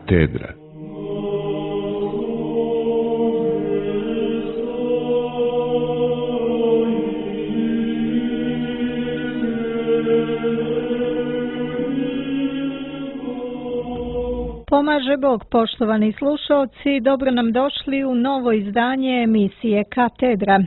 Katedra. Pomaže Bog, poštovani slušaoci, dobro nam došli u novo izdanje emisije Katedra.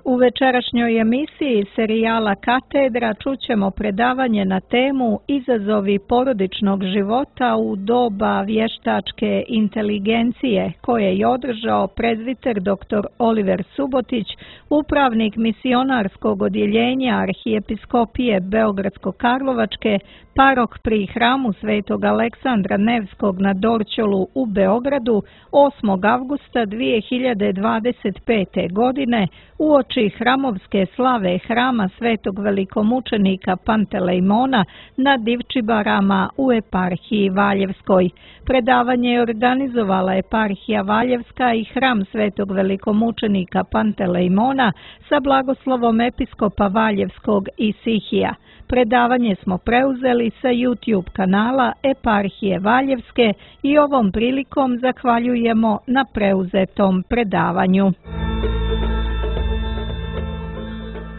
U večerašnjoj emisiji serijala Katedra čućemo predavanje na temu Izazovi porodičnog života u doba vještačke inteligencije, koje je održao prezbiter dr. Oliver Subotić, upravnik misionarskog odjeljenja Arhijepiskopije Beogradsko-Karlovačke, parok pri hramu Svetog Aleksandra Nevskog na Dorćolu u Beogradu 8. avgusta 2025. godine uoči hramovske slave hrama Svetog velikomučenika Pantelejmona na Divčibarama u eparhiji Valjevskoj. Predavanje je organizovala eparhija Valjevska i hram Svetog velikomučenika Pantelejmona sa blagoslovom episkopa Valjevskog Isihija. Predavanje smo preuzeli sa YouTube kanala eparhije Valjevske i ovom prilikom zahvaljujemo na preuzetom predavanju.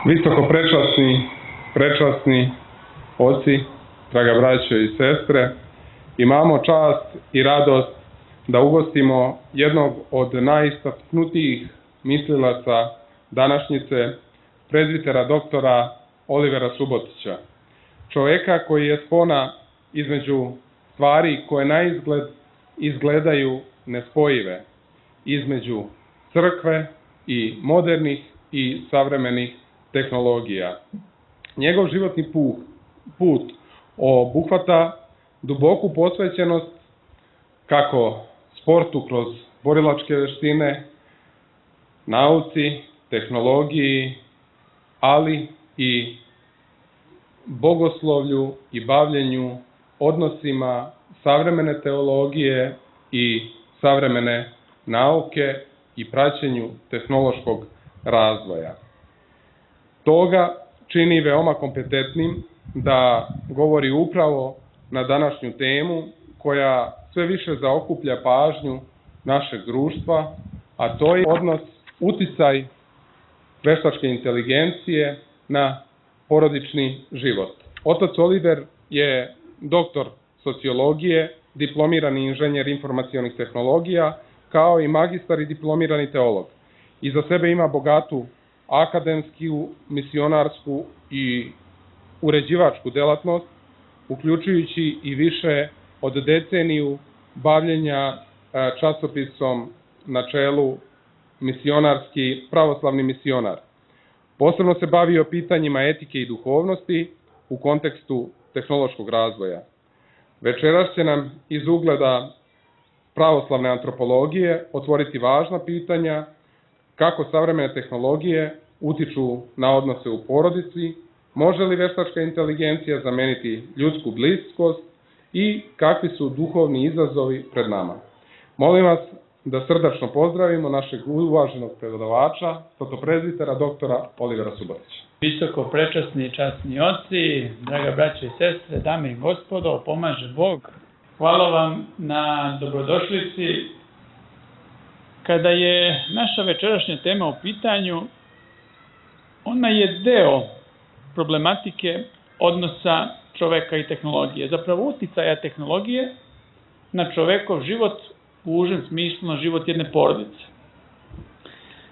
Visoko prečasni oci, draga braćo i sestre, imamo čast i radost da ugostimo jednog od najistaknutijih mislilaca današnjice, prezbitera doktora Olivera Subotića. Čovjeka koji je spona između stvari koje na izgled izgledaju nespojive, između crkve i modernih i savremenih tehnologija. Njegov životni put obuhvata duboku posvećenost kako sportu kroz borilačke vještine, nauci, tehnologiji, ali i bogoslovlju i bavljenju odnosima savremene teologije i savremene nauke i praćenju tehnološkog razvoja. Toga čini veoma kompetentnim da govori upravo na današnju temu koja sve više zaokuplja pažnju našeg društva, a to je odnos, uticaj veštačke inteligencije na porodični život. Otac Oliver je doktor sociologije, diplomirani inženjer informacionih tehnologija, kao i magistar i diplomirani teolog. Iza sebe ima bogatu akademsku, misionarsku i uređivačku delatnost, uključujući i više od deceniju bavljenja časopisom na čelu misionarski pravoslavni misionar. Posebno se bavio pitanjima etike i duhovnosti u kontekstu tehnološkog razvoja. Večeras će nam iz ugleda pravoslavne antropologije otvoriti važna pitanja kako savremene tehnologije utiču na odnose u porodici, može li veštačka inteligencija zameniti ljudsku bliskost i kakvi su duhovni izazovi pred nama. Molim vas da srdačno pozdravimo našeg uvaženog predavača, protoprezbitera doktora Olivera Subotića. Visoko prečasni i časni oci, draga braće i sestre, dame i gospodo, pomaže Bog. Hvala vam na dobrodošlici. Kada je naša večerašnja tema u pitanju, ona je deo problematike odnosa čoveka i tehnologije. Zapravo uticaja tehnologije na čovekov život u užem smislu, na život jedne porodice.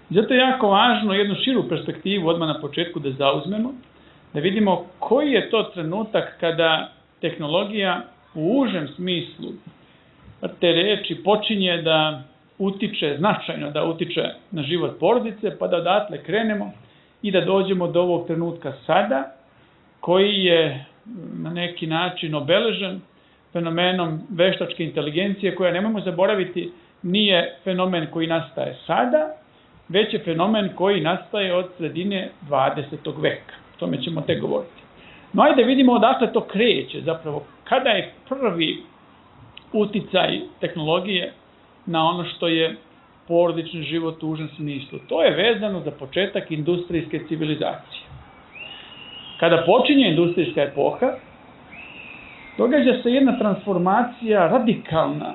Zato je jako važno jednu širu perspektivu odmah na početku da zauzmemo, da vidimo koji je to trenutak kada tehnologija u užem smislu te reči počinje da utiče, značajno da utiče na život porodice, pa da odatle krenemo i da dođemo do ovog trenutka sada, koji je na neki način obeležen fenomenom veštačke inteligencije, koja, nemojmo zaboraviti, nije fenomen koji nastaje sada, već je fenomen koji nastaje od sredine 20. veka. O tome ćemo tek govoriti. No, ajde vidimo odakle to kreće, zapravo, kada je prvi uticaj tehnologije na ono što je porodični život u užem smislu. To je vezano za početak industrijske civilizacije. Kada počinje industrijska epoha, događa se jedna transformacija radikalna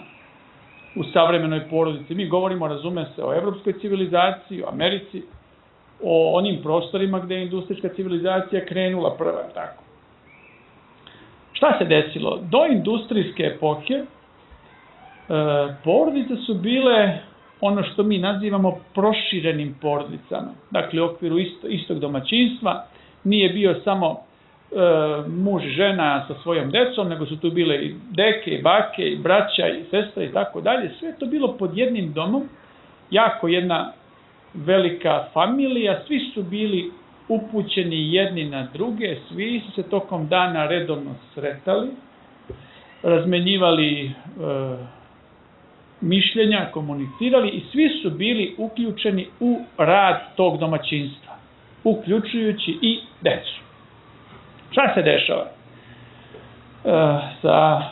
u savremenoj porodici. Mi govorimo, razume se, o evropskoj civilizaciji, o Americi, o onim prostorima gde je industrijska civilizacija krenula prva, tako. Šta se desilo? Do industrijske epohe porodice su bile ono što mi nazivamo proširenim porodicama. Dakle, u okviru istog domaćinstva nije bio samo muž i žena sa svojom decom, nego su tu bile i deke, i bake, i braća, i sestre i tako dalje. Sve je to bilo pod jednim domom, jako jedna velika familija, svi su bili upućeni jedni na druge, svi su se tokom dana redovno sretali, razmenjivali mišljenja, komunicirali i svi su bili uključeni u rad tog domaćinstva, uključujući i decu. Šta se dešava? Sa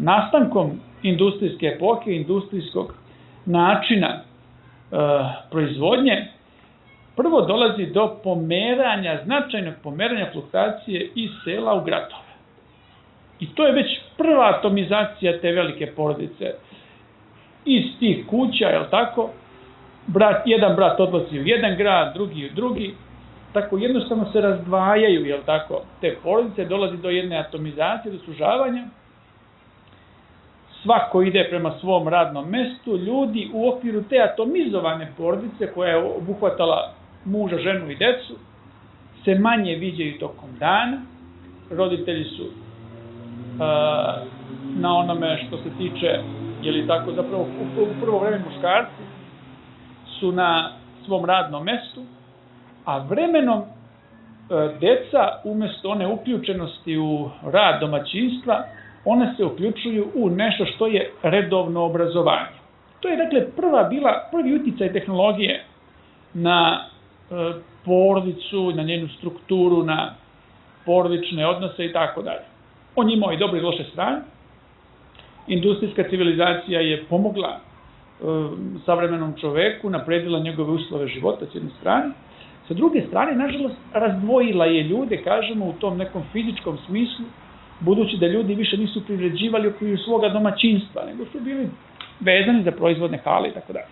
nastankom industrijske epohe, industrijskog načina proizvodnje, prvo dolazi do pomeranja, značajnog pomeranja fluktuacije iz sela u gradove. I to je već prva atomizacija te velike porodice. Iz tih kuća, je li tako, jedan brat odlazi u jedan grad, drugi u drugi, tako jednostavno se razdvajaju, je li tako, te porodice, dolazi do jedne atomizacije, do sužavanja. Svako ide prema svom radnom mestu, ljudi u okviru te atomizovane porodice koja je obuhvatala muža, ženu i decu, se manje viđaju tokom dana, roditelji su na onome što se tiče, je li tako, zapravo u prvo vreme muškarci su na svom radnom mestu, a vremenom deca, umjesto one uključenosti u rad domaćinstva, one se uključuju u nešto što je redovno obrazovanje. To je, dakle, prvi uticaj tehnologije na porodicu, na njenu strukturu, na porodične odnose i tako dalje. On imao i dobre i loše strane. Industrijska civilizacija je pomogla savremenom čoveku, napredila njegove uslove života s jedne strane. Sa druge strane, nažalost, razdvojila je ljude, kažemo, u tom nekom fizičkom smislu, budući da ljudi više nisu privređivali okviru svoga domaćinstva, nego su bili vezani za proizvodne hale i tako dalje.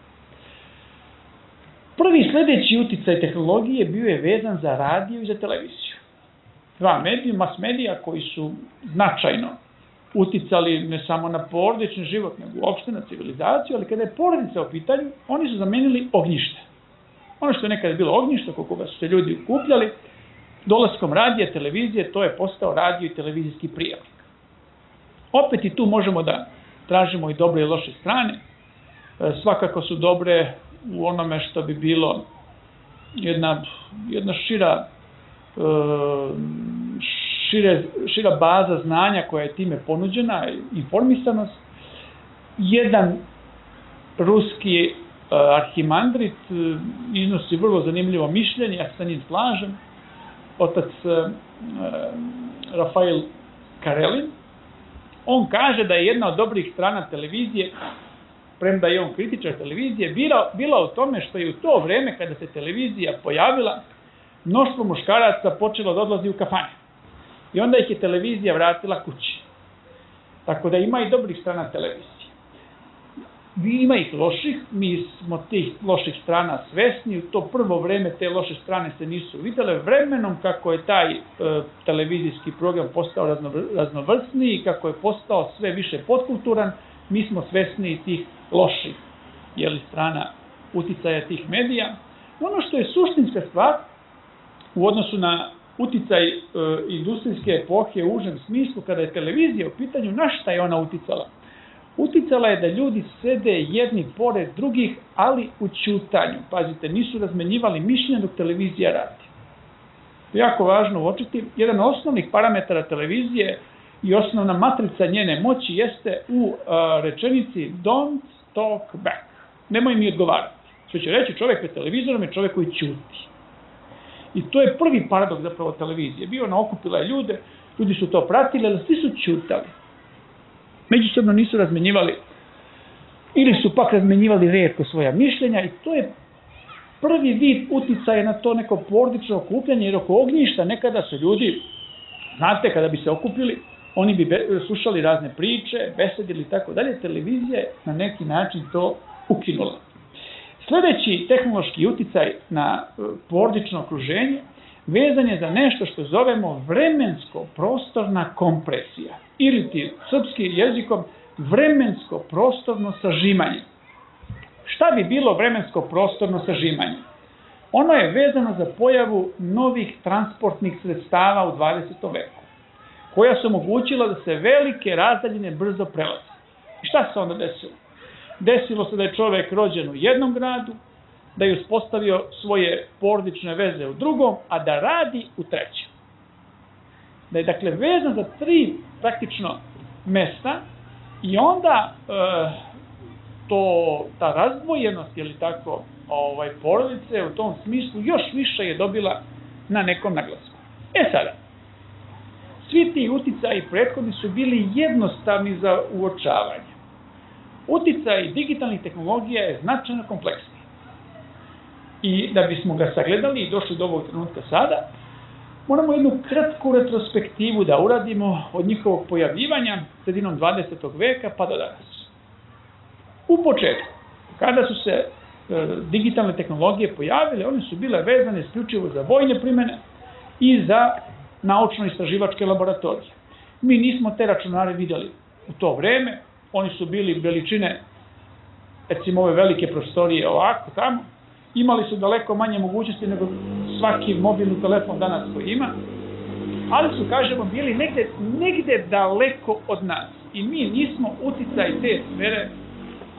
Prvi sledeći uticaj tehnologije bio je vezan za radio i za televiziju. Dva mass medija koji su značajno uticali ne samo na porodični život, nego uopšte na civilizaciju, ali kada je porodica u pitanju, oni su zamenili ognjište. Ono što je nekada bilo ognjište, oko koga su se ljudi okupljali, dolaskom radija, televizije, to je postao radio i televizijski prijemnik. Opet i tu možemo da tražimo i dobre i loše strane. Svakako su dobre u onome što bi bilo jedna šira baza znanja koja je time ponuđena, informisanost. Jedan ruski arhimandrit iznosi vrlo zanimljivo mišljenje, ja se sa njim slažem, otac Rafael Karelin. On kaže da je jedna od dobrih strana televizije, premda je on kritičar televizije, bila u tome što je u to vreme kada se televizija pojavila, mnoštvo muškaraca počelo da odlazi u kafane. I onda ih je televizija vratila kući. Tako da ima i dobrih strana televizije. Ima ih loših, mi smo tih loših strana svesni, u to prvo vreme te loše strane se nisu videle, vremenom kako je taj televizijski program postao raznovrsniji, kako je postao sve više potkulturan, mi smo svesni tih loših strana uticaja tih medija. Ono što je suštinska stvar u odnosu na uticaj industrijske epohe u užem smislu, kada je televizija u pitanju, na šta je ona uticala? Uticala je da ljudi sede jedni pored drugih, ali u ćutanju. Pazite, nisu razmenjivali mišljenja dok televizija radi. To je jako važno uočiti. Jedan od osnovnih parametara televizije i osnovna matrica njene moći jeste u rečenici don't talk back. Nemoj mi odgovarati. Što će reći, čovjek pred televizorom je čovjek koji ćuti. I to je prvi paradoks zapravo televizije. Bio ona okupila je ljude, ljudi su to pratili, ali svi su ćutali. Međusobno nisu razmenjivali ili su pak razmenjivali retko svoja mišljenja i to je prvi vid uticaja na to neko porodično okupljanje, jer oko ognjišta nekada su ljudi, znate, kada bi se okupili, oni bi slušali razne priče, besedili i tako dalje. Televizija je na neki način to ukinula. Sljedeći tehnološki uticaj na porodično okruženje vezan je za nešto što zovemo vremensko-prostorna kompresija ili ti srpskim jezikom vremensko-prostorno sažimanje. Šta bi bilo vremensko-prostorno sažimanje? Ono je vezano za pojavu novih transportnih sredstava u 20. veku, koja su omogućila da se velike razdaljine brzo prelaze. I šta se onda desilo? Desilo se da je čovjek rođen u jednom gradu, da je uspostavio svoje porodične veze u drugom, a da radi u trećem. Da je dakle vezan za 3 praktično mesta i onda ta razdvojenost ili tako porodice u tom smislu još više je dobila na nekom naglasku. Sada, svi ti uticaji prethodni su bili jednostavni za uočavanje. Uticaj digitalnih tehnologija je značajno kompleksniji. I da bismo ga sagledali i došli do ovog trenutka sada, moramo jednu kratku retrospektivu da uradimo od njihovog pojavljivanja sredinom 20. veka pa do danas. U početku, kada su se digitalne tehnologije pojavile, one su bile vezane isključivo za vojne primjene i za naučno-istraživačke laboratorije. Mi nismo te računare vidjeli u to vreme, oni su bili veličine, recimo ove velike prostorije ovako tamo, imali su daleko manje mogućnosti nego svaki mobilni telefon danas koji ima, ali su, kažemo, bili negde daleko od nas i mi nismo uticaj te sfere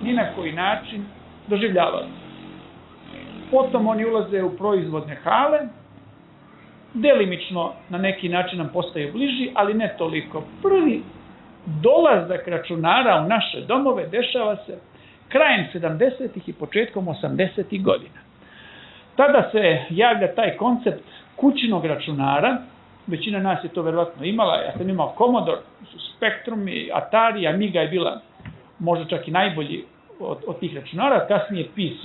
ni na koji način doživljavali. Potom oni ulaze u proizvodne hale, delimično na neki način nam postaju bliži, ali ne toliko. Prvi dolazak računara u naše domove dešava se krajem 70. i početkom 80. godina. Tada se javlja taj koncept kućnog računara, većina nas je to verovatno imala, ja sam imao Commodore, Spectrum i Atari, Amiga je bila možda čak i najbolji od tih računara, kasnije PC,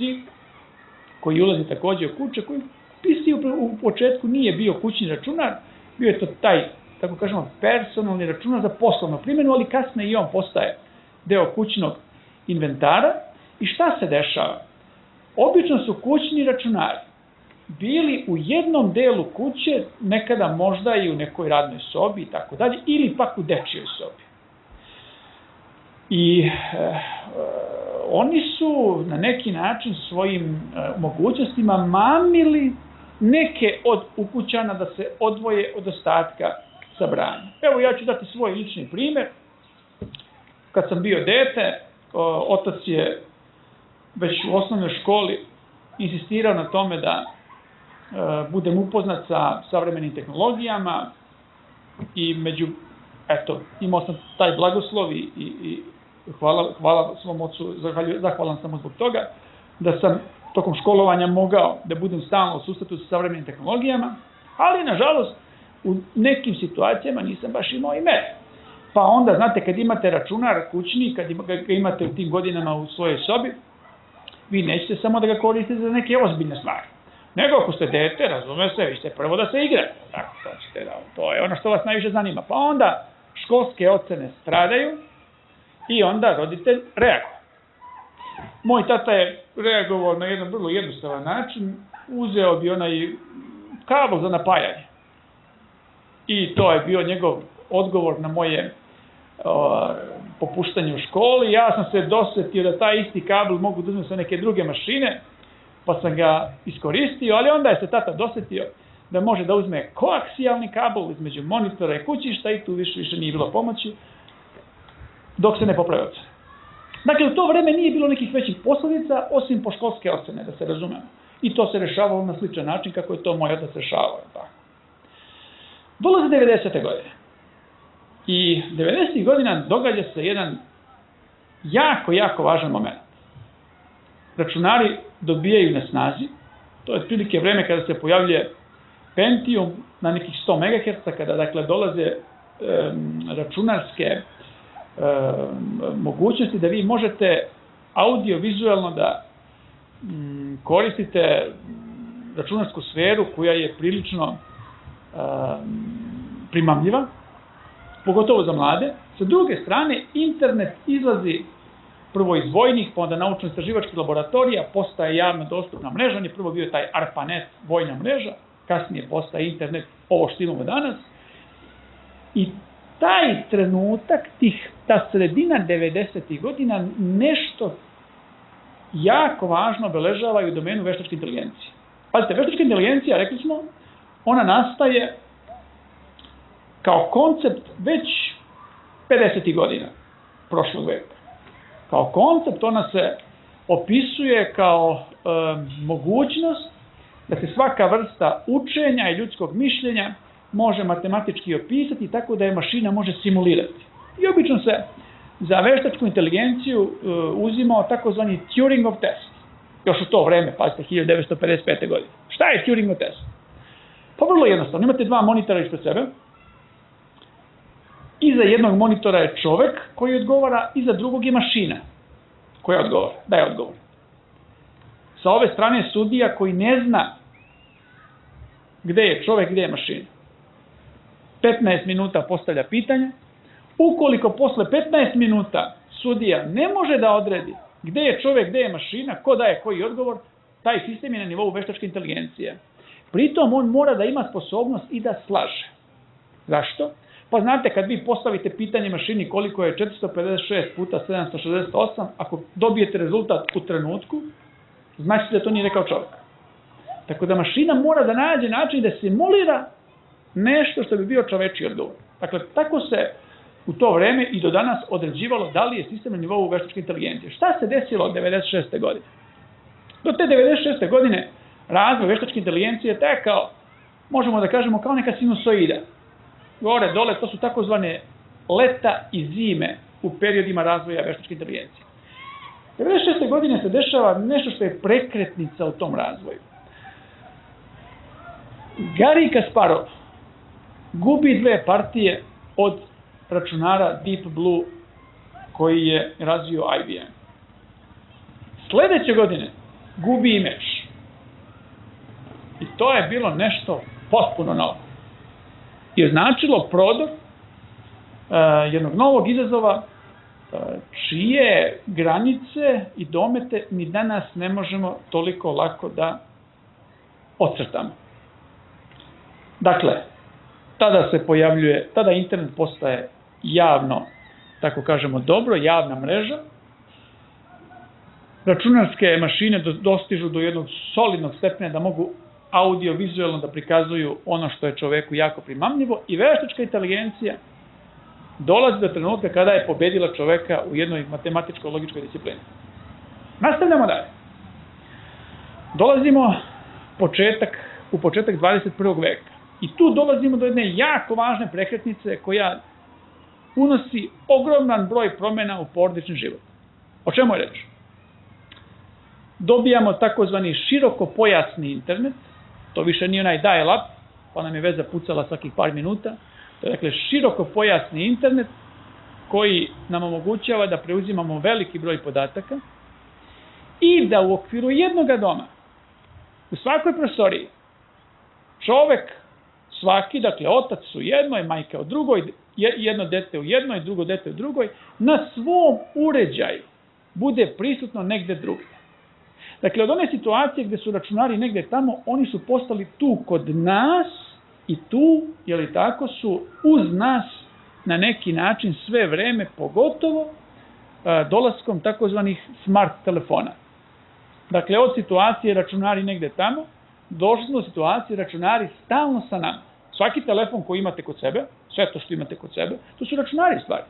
koji ulazi također u kuće, koji PC u početku nije bio kućni računar, bio je to taj, tako kažemo, personalni računar za poslovnu primjenu, ali kasnije i on postaje deo kućnog inventara. I šta se dešava? Obično su kućni računari bili u jednom delu kuće, nekada možda i u nekoj radnoj sobi i tako dalje, ili pak u dečijoj sobi. I oni su na neki način svojim mogućnostima mamili neke od ukućana da se odvoje od ostatka sabranja. Evo, ja ću dati svoj lični primjer. Kad sam bio dete, otac je već u osnovnoj školi insistirao na tome da budem upoznat sa savremenim tehnologijama i imao sam taj blagoslov i hvala svom ocu, zahvalan sam mu zbog toga, da sam tokom školovanja mogao da budem stalno u susretu sa savremenim tehnologijama, ali nažalost u nekim situacijama nisam baš imao i mere. Pa onda, znate, kad imate računar kućni, kad ga imate u tim godinama u svojoj sobi, vi nećete samo da ga koristite za neke ozbiljne stvari. Nego ako ste dete, razume se, vi ćete prvo da se igrate. Tako, to je ono što vas najviše zanima. Pa onda školske ocene stradaju i onda roditelj reaguje. Moj tata je reagovao na jedan vrlo jednostavan način, uzeo bi onaj kabel za napajanje. I to je bio njegov odgovor na moje popuštanje u školi. Ja sam se dosetio da taj isti kabel mogu da uzmem sa neke druge mašine, pa sam ga iskoristio, ali onda je se tata dosetio da može da uzme koaksijalni kabel između monitora i kućišta i tu više nije bilo pomoći, dok se ne popravi ocene. Dakle, u to vreme nije bilo nekih većih posljedica, osim po školske ocene, da se razumemo. I to se rešavalo na sličan način kako je to moj otac rešavao. Dolaze 90. godine. I 90. godina događa se jedan jako važan moment. Računari dobijaju na snazi, to je otprilike vreme kada se pojavljuje Pentium na nekih 100 MHz, kada dakle dolaze računarske mogućnosti da vi možete audio-vizualno da koristite računarsku sferu koja je prilično primamljiva pogotovo za mlade. Sa druge strane, internet izlazi prvo iz vojnih, pa onda naučno-istraživačkih laboratorija, postaje javno dostupna mreža. On je prvo bio taj ARPANET, vojna mreža, kasnije postaje internet, ovo što imamo danas. I taj trenutak, ta sredina 90. godina, nešto jako važno obeležava i u domenu veštačke inteligencije. Pazite, veštačka inteligencija, rekli smo, ona nastaje kao koncept već 50. godina prošlog veka. Kao koncept ona se opisuje kao mogućnost da se svaka vrsta učenja i ljudskog mišljenja može matematički opisati tako da je mašina može simulirati. I obično se za veštačku inteligenciju uzimao takozvani Turingov test. Još u to vreme, pazite, 1955. godine. Šta je Turingov test? Pa vrlo jednostavno. Imate dva monitora ispred sebe. Iza jednog monitora je čovek koji odgovara, iza drugog je mašina koja odgovara, daje odgovor. Sa ove strane je sudija koji ne zna gde je čovek, gde je mašina. 15 minuta postavlja pitanja. Ukoliko posle 15 minuta sudija ne može da odredi gde je čovek, gde je mašina, ko daje koji odgovor, taj sistem je na nivou veštačke inteligencije. Pritom on mora da ima sposobnost i da slaže. Zašto? Pa znate, kad vi postavite pitanje mašini koliko je 456 puta 768, ako dobijete rezultat u trenutku, znači da to nije rekao čovjek. Tako da mašina mora da nađe način da simulira nešto što bi bio čovečiji odgovor. Dakle, tako se u to vreme i do danas određivalo da li je sistem na nivou veštačke inteligencije. Šta se desilo od 96. godine? Do te 96. godine razvoj veštačke inteligencije je tekao, možemo da kažemo, kao neka sinusoida. Gore, dole, to su takozvane leta i zime u periodima razvoja veštačke inteligencije. 96. godine se dešava nešto što je prekretnica u tom razvoju. Garry Kasparov gubi dve partije od računara Deep Blue koji je razvio IBM. Sledeće godine gubi i meč. I to je bilo nešto potpuno novo. Je značilo prodor jednog novog izazova čije granice i domete mi danas ne možemo toliko lako da ocrtamo. Dakle, tada internet postaje javno, tako kažemo dobro, javna mreža. Računarske mašine dostižu do jednog solidnog stepena da mogu audio-vizualno da prikazuju ono što je čoveku jako primamljivo i veštačka inteligencija dolazi do trenutka kada je pobedila čoveka u jednoj matematičko-logičkoj disciplini. Nastavljamo dalje. Dolazimo u početak 21. veka. I tu dolazimo do jedne jako važne prekretnice koja unosi ogroman broj promjena u porodični život. O čemu je reč? Dobijamo takozvani širokopojasni internet, to više nije onaj dial-up, pa nam je veza pucala svakih par minuta. To je dakle širokopojasni internet koji nam omogućava da preuzimamo veliki broj podataka i da u okviru jednoga doma, u svakoj prostoriji, čovek svaki, dakle otac u jednoj, majka u drugoj, jedno dete u jednoj, drugo dete u drugoj, na svom uređaju bude prisutno negde drugde. Dakle, od one situacije gde su računari negde tamo, oni su postali tu kod nas i tu, jeli tako, su uz nas na neki način sve vreme, pogotovo dolaskom takozvanih smart telefona. Dakle, od situacije računari negde tamo, došli smo do situacije računari stalno sa nama. Svaki telefon koji imate kod sebe, sve to što imate kod sebe, to su računari stvari.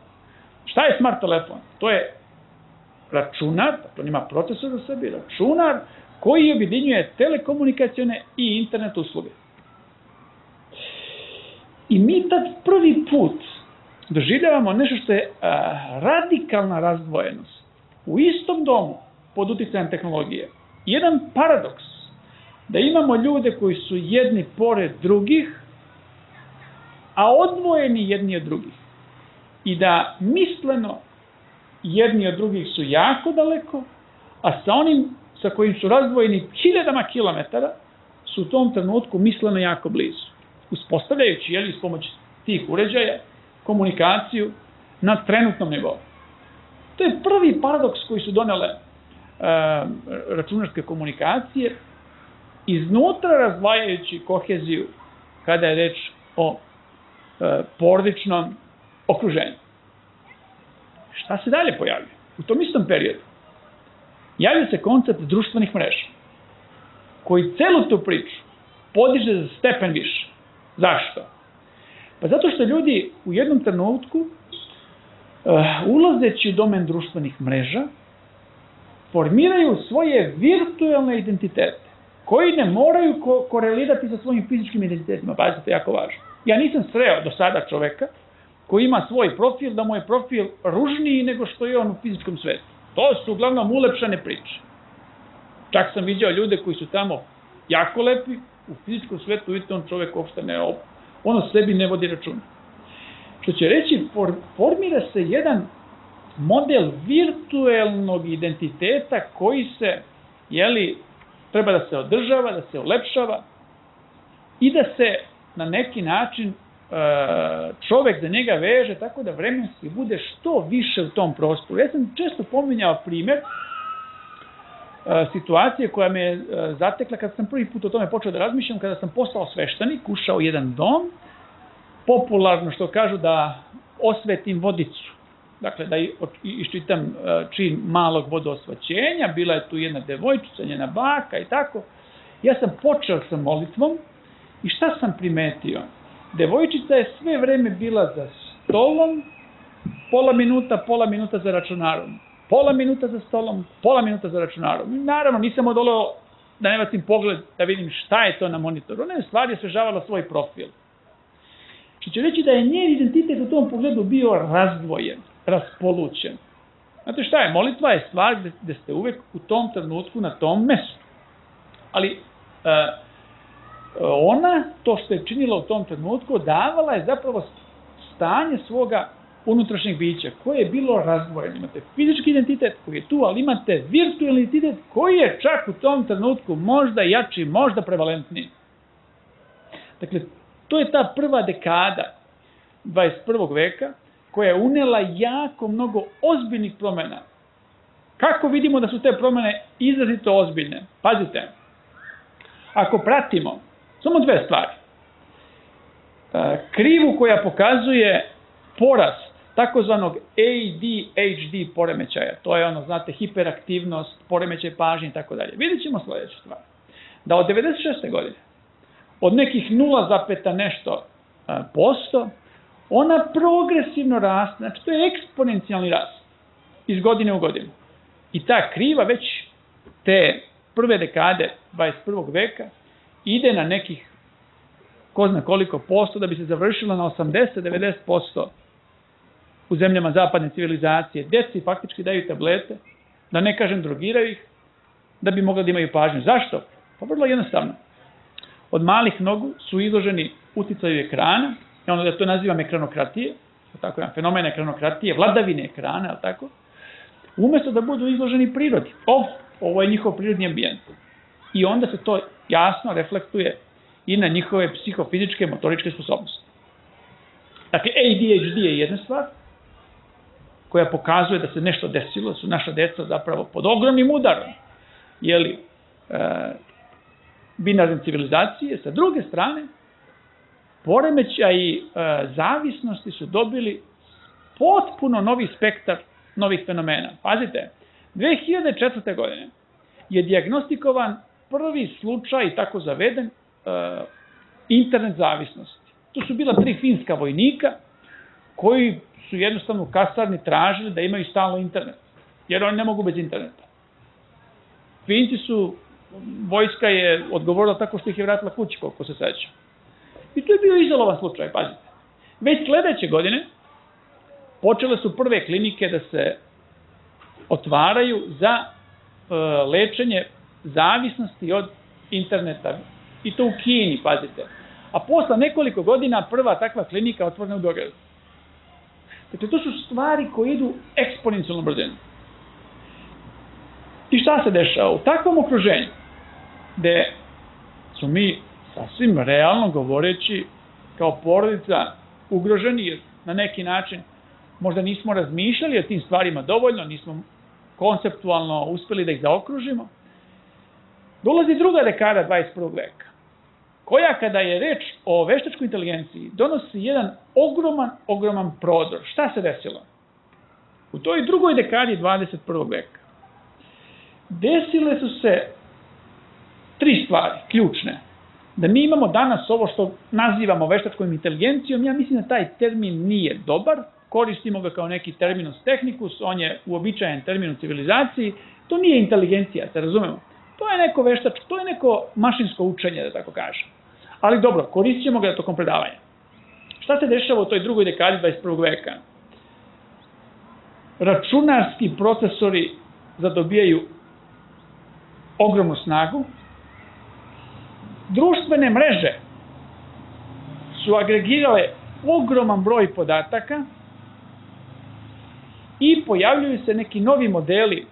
Šta je smart telefon? To je računar, to ima procesor u sebi, računar koji objedinjuje telekomunikacione i internet usluge. I mi tad prvi put doživljavamo nešto što je radikalna razdvojenost. U istom domu, pod uticajem tehnologije, jedan paradoks da imamo ljude koji su jedni pored drugih, a odvojeni jedni od drugih. I da misleno jedni od drugih su jako daleko, a sa onim sa kojim su razdvojeni hiljadama kilometara su u tom trenutku misleno jako blizu. Uspostavljajući s pomoć tih uređaja komunikaciju na trenutnom nivou. To je prvi paradoks koji su donele računarske komunikacije, iznutra razdvajajući koheziju kada je reč o porodičnom okruženju. Šta se dalje pojavlja? U tom istom periodu javlja se koncept društvenih mreža, koji celu tu priču podiže za stepen više. Zašto? Pa zato što ljudi u jednom trenutku, ulazeći u domen društvenih mreža, formiraju svoje virtualne identitete, koji ne moraju korelirati sa svojim fizičkim identitetima. Pazite, to je jako važno. Ja nisam sreo do sada čoveka koji ima svoj profil, da mu je profil ružniji nego što je on u fizičkom svetu. To su uglavnom ulepšane priče. Čak sam vidio ljude koji su tamo jako lepi, u fizičkom svetu vidite on čovek uopšte ne, on o sebi ne vodi računa. Što će reći, formira se jedan model virtuelnog identiteta koji se, treba da se održava, da se ulepšava i da se na neki način čovek za njega veže tako da vremenski bude što više u tom prostoru. Ja sam često pominjao primjer situacije koja me je zatekla kada sam prvi put o tome počeo da razmišljam, kada sam postao sveštenik, ušao u jedan dom, popularno što kažu da osvetim vodicu. Dakle, da iščitam čin malog vodoosvećenja, bila je tu jedna devojčica, njena baka i tako. Ja sam počeo sa molitvom i šta sam primetio? Devojčica je sve vreme bila za stolom, pola minuta za računarom. Pola minuta za stolom, pola minuta za računarom. Naravno, nisam odoleo da ne bacim pogled da vidim šta je to na monitoru. Ona je stvari osvežavala svoj profil. Što će reći da je njen identitet u tom pogledu bio razdvojen, raspolućen. Znate šta je? Molitva je stvar gde ste uvek u tom trenutku na tom mestu. Ali ona, to što je činila u tom trenutku, davala je zapravo stanje svoga unutrašnjeg bića, koje je bilo razdvojeno. Imate fizički identitet koji je tu, ali imate virtualni identitet koji je čak u tom trenutku možda jači, možda prevalentniji. Dakle, to je ta prva dekada 21. veka koja je unela jako mnogo ozbiljnih promjena. Kako vidimo da su te promjene izrazito ozbiljne? Pazite, ako pratimo samo dve stvari. Krivu koja pokazuje porast takozvanog ADHD poremećaja, to je ono, znate, hiperaktivnost, poremećaj pažnje i tako dalje. Vidjet ćemo sljedeću stvar. Da od 96. godine, od nekih 0, nešto posto, ona progresivno raste, znači to je eksponencijalni rast iz godine u godinu. I ta kriva već te prve dekade 21. veka ide na nekih ko zna koliko posto da bi se završila na 80-90% u zemljama zapadne civilizacije. Deci faktički daju tablete, da ne kažem drogiraju ih, da bi mogli da imaju pažnju. Zašto? Pa vrlo jednostavno. Od malih nogu su izloženi uticaju ekrana, i ono da to nazivam ekranokratije, tako jedan fenomen ekranokratije, vladavine ekrana, ali tako, umjesto da budu izloženi prirodi. Ovo je njihov prirodni ambijent. I onda se to jasno reflektuje i na njihove psihofizičke, motoričke sposobnosti. Dakle, ADHD je jedna stvar koja pokazuje da se nešto desilo, su naša deca zapravo pod ogromnim udarom, binarne civilizacije. Sa druge strane, poremećaji zavisnosti su dobili potpuno novi spektar novih fenomena. Pazite, 2004. godine je dijagnostikovan prvi slučaj, tako zaveden, internet zavisnosti. Tu su bila 3 finska vojnika koji su jednostavno u kasarni tražili da imaju stalno internet, jer oni ne mogu bez interneta. Finci su, vojska je odgovorila tako što ih je vratila kući, koliko se seća. I to je bio izolovan slučaj, pazite. Već sledeće godine počele su prve klinike da se otvaraju za lečenje zavisnosti od interneta. I to u Kini, pazite. A posle nekoliko godina prva takva klinika otvorena u Beogradu. Dakle, to su stvari koje idu eksponencijalno brzinom. I šta se dešava? U takvom okruženju, gde su mi sasvim realno govoreći kao porodica ugroženi, jer na neki način, možda nismo razmišljali o tim stvarima dovoljno, nismo konceptualno uspeli da ih zaokružimo. Dolazi druga dekada 21. veka, koja kada je reč o veštačkoj inteligenciji donosi jedan ogroman prodor. Šta se desilo? U toj drugoj dekadi 21. veka desile su se 3 stvari, ključne. Da mi imamo danas ovo što nazivamo veštačkom inteligencijom, ja mislim da taj termin nije dobar, koristimo ga kao neki terminus technicus, on je uobičajen termin u civilizaciji, to nije inteligencija, se razumemo. To je neko veštačko, to je neko mašinsko učenje, da tako kažem. Ali dobro, koristit ćemo ga tokom predavanja. Šta se dešava u toj drugoj dekadi 21. veka? Računarski procesori zadobijaju ogromnu snagu, društvene mreže su agregirale ogroman broj podataka i pojavljuju se neki novi modeli,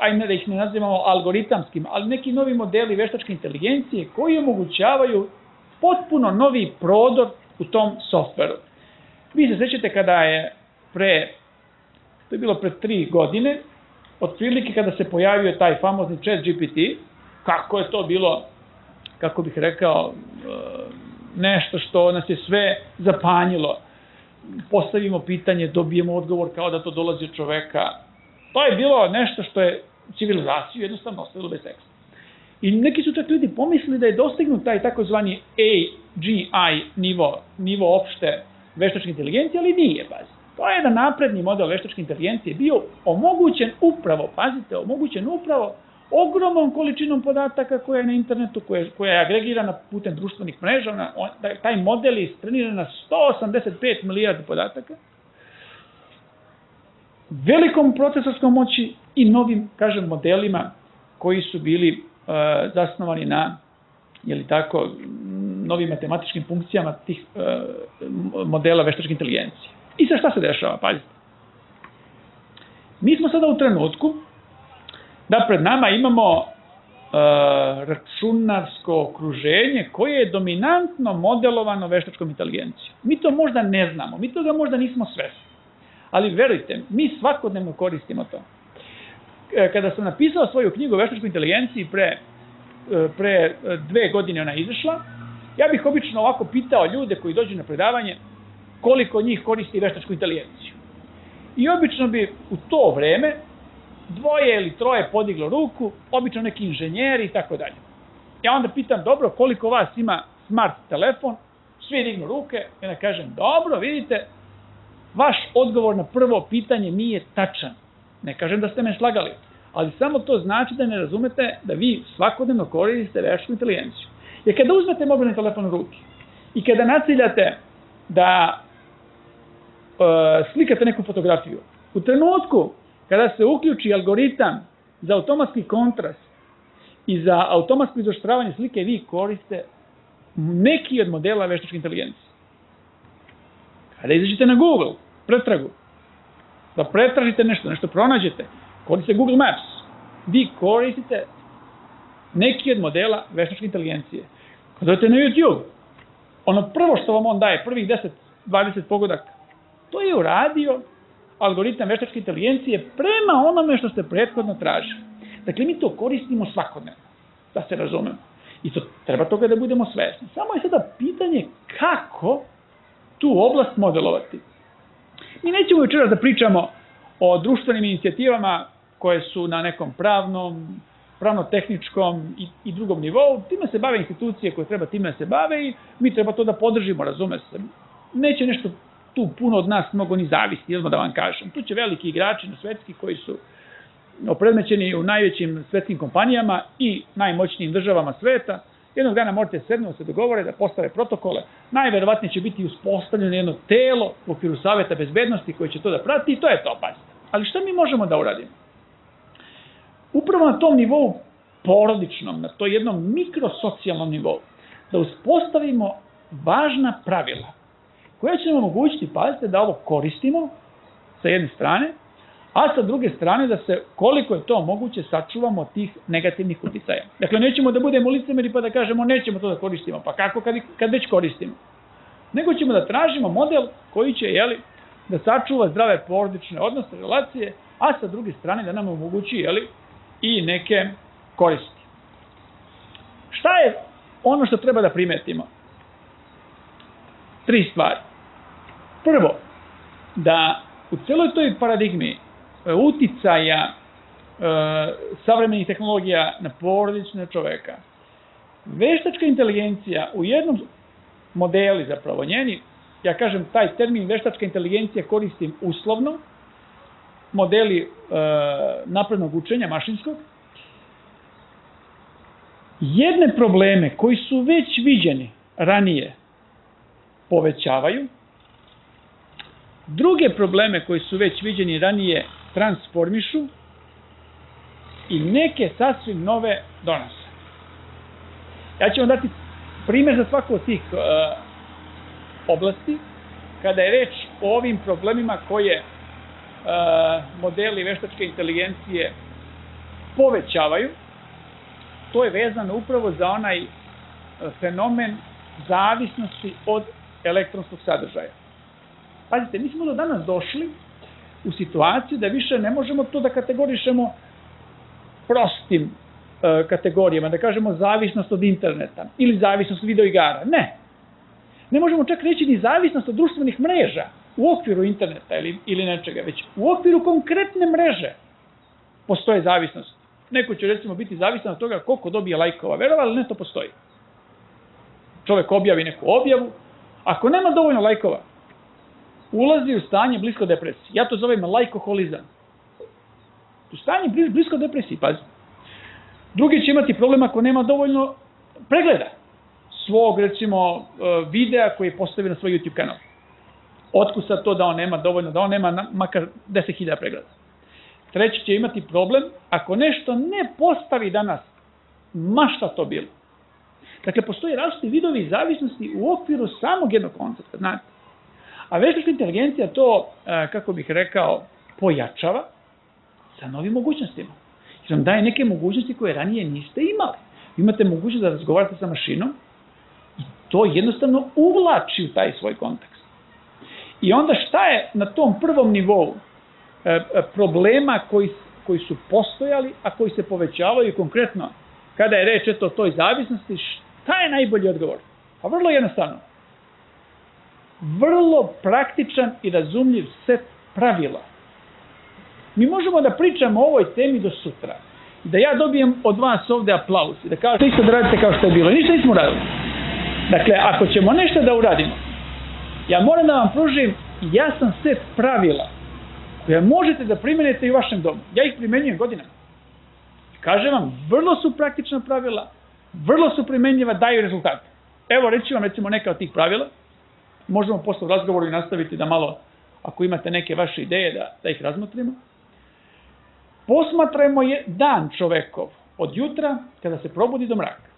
ajde da ih ne nazivamo algoritamskim, ali neki novi modeli veštačke inteligencije koji omogućavaju potpuno novi prodor u tom softveru. Vi se sećate kada je to je bilo pre 3 godine, otprilike kada se pojavio taj famozni ChatGPT, kako je to bilo, kako bih rekao, nešto što nas je sve zapanjilo. Postavimo pitanje, dobijemo odgovor kao da to dolazi od čoveka. To je bilo nešto što je civilizaciju jednostavno ostavilo bez teksta. I neki su čak ljudi pomislili da je dostignut taj takozvani AGI nivo opšte veštačke inteligencije, ali nije, pazi. To je jedan napredni model veštačke inteligencije bio omogućen upravo, pazite, omogućen upravo ogromnom količinom podataka koja je na internetu, koja je agregirana putem društvenih mreža. Taj model je istreniran na 185 milijardi podataka, velikom procesorskom moći i novim, kažem, modelima koji su bili zasnovani na, novim matematičkim funkcijama tih modela veštačke inteligencije. I sad šta se dešava, pazite. Mi smo sada u trenutku da pred nama imamo računarsko okruženje koje je dominantno modelovano veštačkom inteligencijom. Mi to možda ne znamo, mi toga možda nismo svesni. Ali verujte, mi svakodnevno koristimo to. Kada sam napisao svoju knjigu o veštačkoj inteligenciji pre 2 godine ona je izašla, ja bih obično ovako pitao ljude koji dođu na predavanje koliko njih koristi veštačku inteligenciju. I obično bi u to vreme 2 ili 3 podiglo ruku, obično neki inženjeri i tako dalje. Ja onda pitam, dobro, koliko vas ima smart telefon, svi dignu ruke, i onda kažem, dobro, vidite, vaš odgovor na prvo pitanje nije tačan. Ne kažem da ste me slagali, ali samo to znači da ne razumete da vi svakodnevno koristite veštačku inteligenciju. Jer kada uzmete mobilni telefon u ruke i kada naciljate da slikate neku fotografiju, u trenutku kada se uključi algoritam za automatski kontrast i za automatsko izoštravanje slike, vi koriste neki od modela veštačke inteligencije. Kada izađete na Google, pretragu, da pretražite nešto pronađete, koristite Google Maps, vi koristite neki od modela veštačke inteligencije. Kada odete na YouTube, ono prvo što vam on daje, prvih 10-20 pogodaka, to je uradio algoritam veštačke inteligencije prema onome što ste prethodno tražili. Dakle, mi to koristimo svakodnevno, da se razumemo. I to treba toga da budemo svesni. Samo je sada pitanje kako tu oblast modelovati. Mi nećemo večeras da pričamo o društvenim inicijativama koje su na nekom pravno-tehničkom i drugom nivou. Time se bave institucije koje treba time da se bave i mi treba to da podržimo, razume se. Neće nešto tu puno od nas mnogo ni zavisi, jedno da vam kažem. Tu će veliki igrači na svetski koji su opredmećeni u najvećim svetskim kompanijama i najmoćnijim državama sveta. Jednog dana morate sednuti, se dogovore da postave protokole. Najverovatnije će biti uspostavljeno jedno telo u okviru Saveta bezbednosti koje će to da prati i to je to, pazite. Ali šta mi možemo da uradimo? Upravo na tom nivou porodičnom, na to jednom mikrosocijalnom nivou, da uspostavimo važna pravila koja će nam omogućiti, pazite, da ovo koristimo sa jedne strane, a sa druge strane da se, koliko je to moguće, sačuvamo od tih negativnih uticaja. Dakle, nećemo da budemo licemeri pa da kažemo nećemo to da koristimo. Pa kako kad već koristimo? nego ćemo da tražimo model koji će da sačuva zdrave porodične odnose, relacije, a sa druge strane da nam omogući i neke koristi. Šta je ono što treba da primetimo? 3 stvari. Prvo, da u celoj toj paradigmi uticaja savremenih tehnologija na porodične čoveka, veštačka inteligencija u jednom modeli zapravo njeni, ja kažem taj termin veštačka inteligencija koristim uslovno, modeli naprednog učenja mašinskog, jedne probleme koji su već viđeni ranije povećavaju, druge probleme koji su već viđeni ranije transformišu i neke sasvim nove donose. Ja ću vam dati primjer za svaku od tih oblasti, kada je reč o ovim problemima koje modeli veštačke inteligencije povećavaju. To je vezano upravo za onaj fenomen zavisnosti od elektronskog sadržaja. Pazite, mi smo do danas došli u situaciju da više ne možemo to da kategorišemo prostim kategorijama, da kažemo zavisnost od interneta ili zavisnost od videoigara. Ne. Ne možemo čak reći ni zavisnost od društvenih mreža u okviru interneta ili nečega, već u okviru konkretne mreže postoje zavisnost. Neko će recimo biti zavisan od toga koliko dobije lajkova. Verovali ili ne, to postoji. Čovek objavi neku objavu. Ako nema dovoljno lajkova, ulazi u stanje blisko depresiji. Ja to zovem lajkoholizam. U stanje blisko depresiji, pazi. Drugi će imati problem ako nema dovoljno pregleda svog, recimo, videa koji je postavio na svoj YouTube kanal. Otkud sad to da on nema dovoljno, da on nema makar 10.000 pregleda. Treći će imati problem ako nešto ne postavi danas, ma šta to bilo. Dakle, postoji različiti vidovi zavisnosti u okviru samog jednog koncepta, znate. A veštačka inteligencija to, kako bih rekao, pojačava sa novim mogućnostima. Jer vam daje neke mogućnosti koje ranije niste imali. Imate mogućnost da razgovarate sa mašinom i to jednostavno uvlači u taj svoj kontekst. I onda šta je na tom prvom nivou problema koji su postojali, a koji se povećavaju konkretno kada je reč o toj zavisnosti, šta je najbolji odgovor? Pa vrlo jednostavno. Vrlo praktičan i razumljiv set pravila. Mi možemo da pričamo o ovoj temi do sutra. Da ja dobijem od vas ovde aplauz i da kažete isto da radite kao što je bilo. Ništa nismo uradili. Dakle, ako ćemo nešto da uradimo, ja moram da vam pružim jasan set pravila koje možete da primenite i u vašem domu. Ja ih primenjujem godinama. Kažem vam, vrlo su praktična pravila, vrlo su primenjiva, daju rezultate. Evo, reći vam recimo neka od tih pravila. Možemo posle u razgovoru i nastaviti da malo, ako imate neke vaše ideje, da ih razmotrimo. Posmatrajmo dan čovekov od jutra kada se probudi do mraka.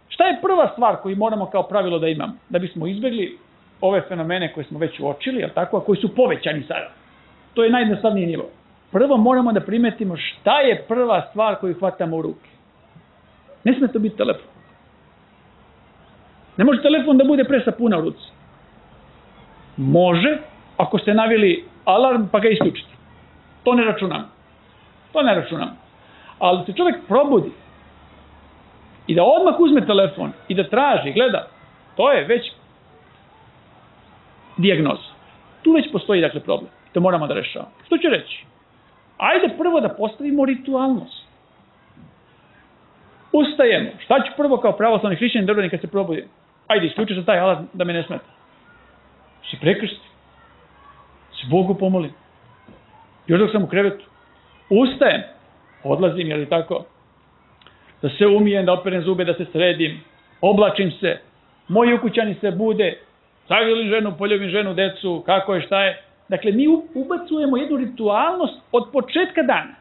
Šta je prva stvar koju moramo kao pravilo da imamo? Da bismo izbjegli ove fenomene koje smo već uočili, a koji su povećani sada. To je najjednostavniji nivo. Prvo moramo da primetimo šta je prva stvar koju hvatamo u ruke. Ne sme to biti telefon. Ne može telefon da bude pre sapuna u ruci. Može, ako ste navili alarm pa ga isključite. To ne računamo. Ali da se čovjek probudi i da odmah uzme telefon i da traži, gleda, to je već dijagnoza. Tu već postoji dakle problem. To moramo da rešavamo. Što ću reći? Ajde prvo da postavimo ritualnost. Ustajemo. Šta ću prvo kao pravoslavni hrišćanin da uradim kad se probudim? Ajde, isključi se taj alarm da me ne smeta. Se prekrsti. Se Bogu pomolim. Još dok sam u krevetu. Ustajem. Odlazim, jel' tako? Da se umijem, da operem zube, da se sredim. Oblačim se. Moji ukućani se bude. Sagrilim ženu, poljubim ženu, decu, kako je, šta je. Dakle, mi ubacujemo jednu ritualnost od početka dana.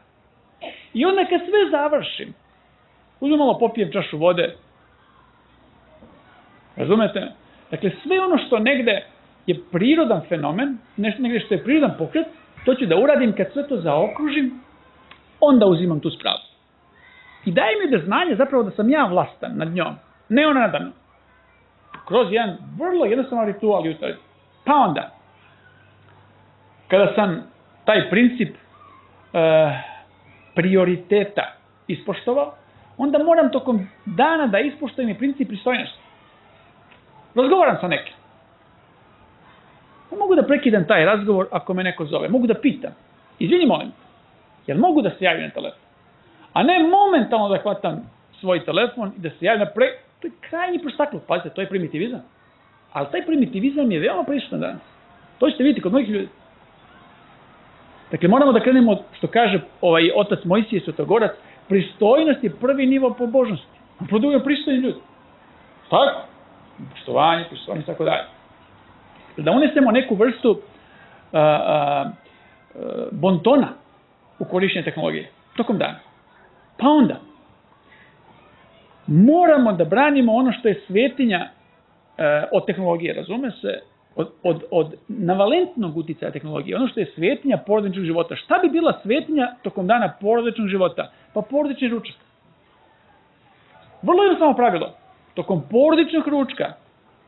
I onda kad sve završim, uzmem malo, popijem čašu vode. Razumete? Dakle, sve ono što negde je prirodan fenomen, nešto negde što je prirodan pokret, to ću da uradim kad sve to zaokružim, onda uzimam tu spravu. I daje mi da znanje zapravo da sam ja vlastan nad njom, ne ona nada mnom. kroz jedan vrlo jednostavan ritual jutarnji. Pa onda, kada sam taj princip prioriteta ispoštovao, onda moram tokom dana da ispoštujem i princip pristojnosti. Razgovaram sa nekim. Mogu da prekidam taj razgovor ako me neko zove. Mogu da pitam. Izvini, molim. Jel mogu da se javim na telefon? A ne momentalno da hvatam svoj telefon i da se javim na To je krajnji prostakluk. Pazite, to je primitivizam. Ali taj primitivizam je veoma prisutan danas. To ćete vidjeti kod mnogih ljudi. Dakle, moramo da krenemo, što kaže otac Mojsije Svetogorac, pristojnost je prvi nivo pobožnosti. Produje pristojni ljudi. Tako? Poštovanje i tako dalje. Da unesemo neku vrstu bontona u korišćenje tehnologije tokom dana. Pa onda, moramo da branimo ono što je svetinja od tehnologije, razume se, od navalentnog uticaja tehnologije, ono što je svetinja porodičnog života. Šta bi bila svetinja tokom dana porodičnog života? Pa porodični ručak. Vrlo jednostavno pravilo. Tokom porodičnog ručka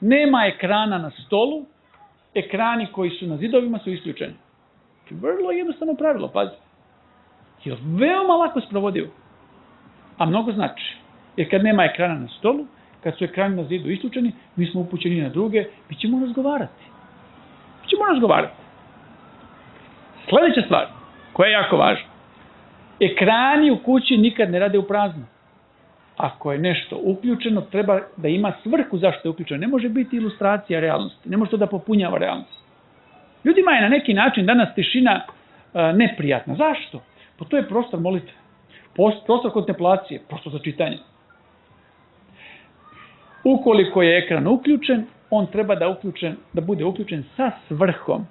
nema ekrana na stolu, ekrani koji su na zidovima su isključeni. Vrlo jednostavno pravilo, pazi. Je veoma lako sprovodivo, a mnogo znači. Jer kad nema ekrana na stolu, kad su ekrani na zidu isključeni, mi smo upućeni na druge, mi ćemo razgovarati. Sljedeća stvar, koja je jako važna. Ekrani u kući nikad ne rade u prazno. Ako je nešto uključeno, treba da ima svrhu zašto je uključeno. Ne može biti ilustracija realnosti. Ne može to da popunjava realnost. Ljudima je na neki način danas tišina neprijatna. Zašto? Pa to je prostor molitve. Prostor kontemplacije. Prostor za čitanje. Ukoliko je ekran uključen, on treba da bude uključen sa svrhom.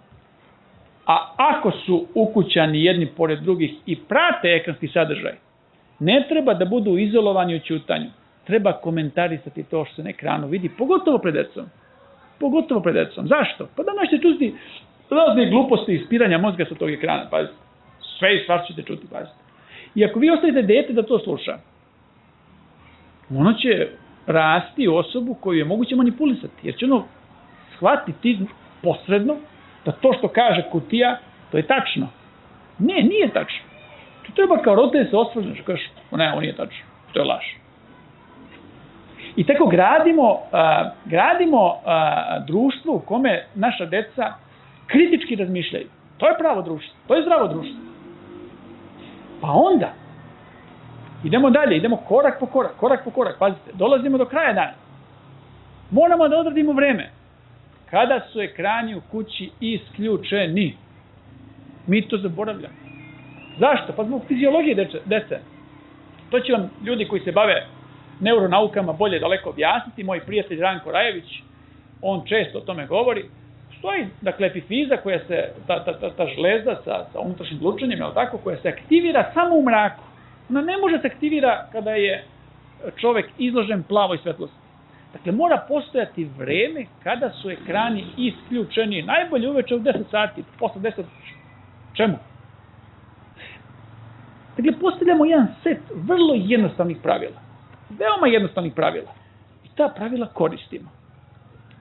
A ako su ukućani jedni pored drugih i prate ekranski sadržaj, ne treba da budu izolovani u ćutanju. Treba komentarisati to što se na ekranu vidi, pogotovo pred decom. Zašto? Pa danas ćete čuti razne gluposti i ispiranja mozga sa tog ekrana, pazite. Sve i svašta ćete čuti, pazite. I ako vi ostavite dete da to sluša, ono će rasti u osobu koju je moguće manipulisati, jer će ono shvatiti posredno da to što kaže kutija, to je tačno. Ne, nije tačno. To treba kao roditelj se osvrneš, kažeš, ne, ovo nije tačno, to je laž. I tako gradimo društvo u kome naša deca kritički razmišljaju. To je pravo društvo, to je zdravo društvo. Pa onda, idemo dalje, idemo korak po korak, pazite, dolazimo do kraja dana. Moramo da odradimo vreme. Kada su ekrani u kući isključeni, mi to zaboravljamo. Zašto? Pa zbog fiziologije dece. To će vam ljudi koji se bave neuronaukama bolje daleko objasniti. Moj prijatelj Ranko Rajević, on često o tome govori. Stoji, dakle, epifiza koja se, ta žlezda sa unutrašnjim glučanjem, koja se aktivira samo u mraku. Ona ne može se aktivira kada je čovek izložen plavoj svetlosti. Dakle, mora postojati vreme kada su ekrani isključeni. Najbolje uveče u 10 sati, posle 10, čemu? Dakle, postavljamo jedan set vrlo jednostavnih pravila. Veoma jednostavnih pravila. I ta pravila koristimo.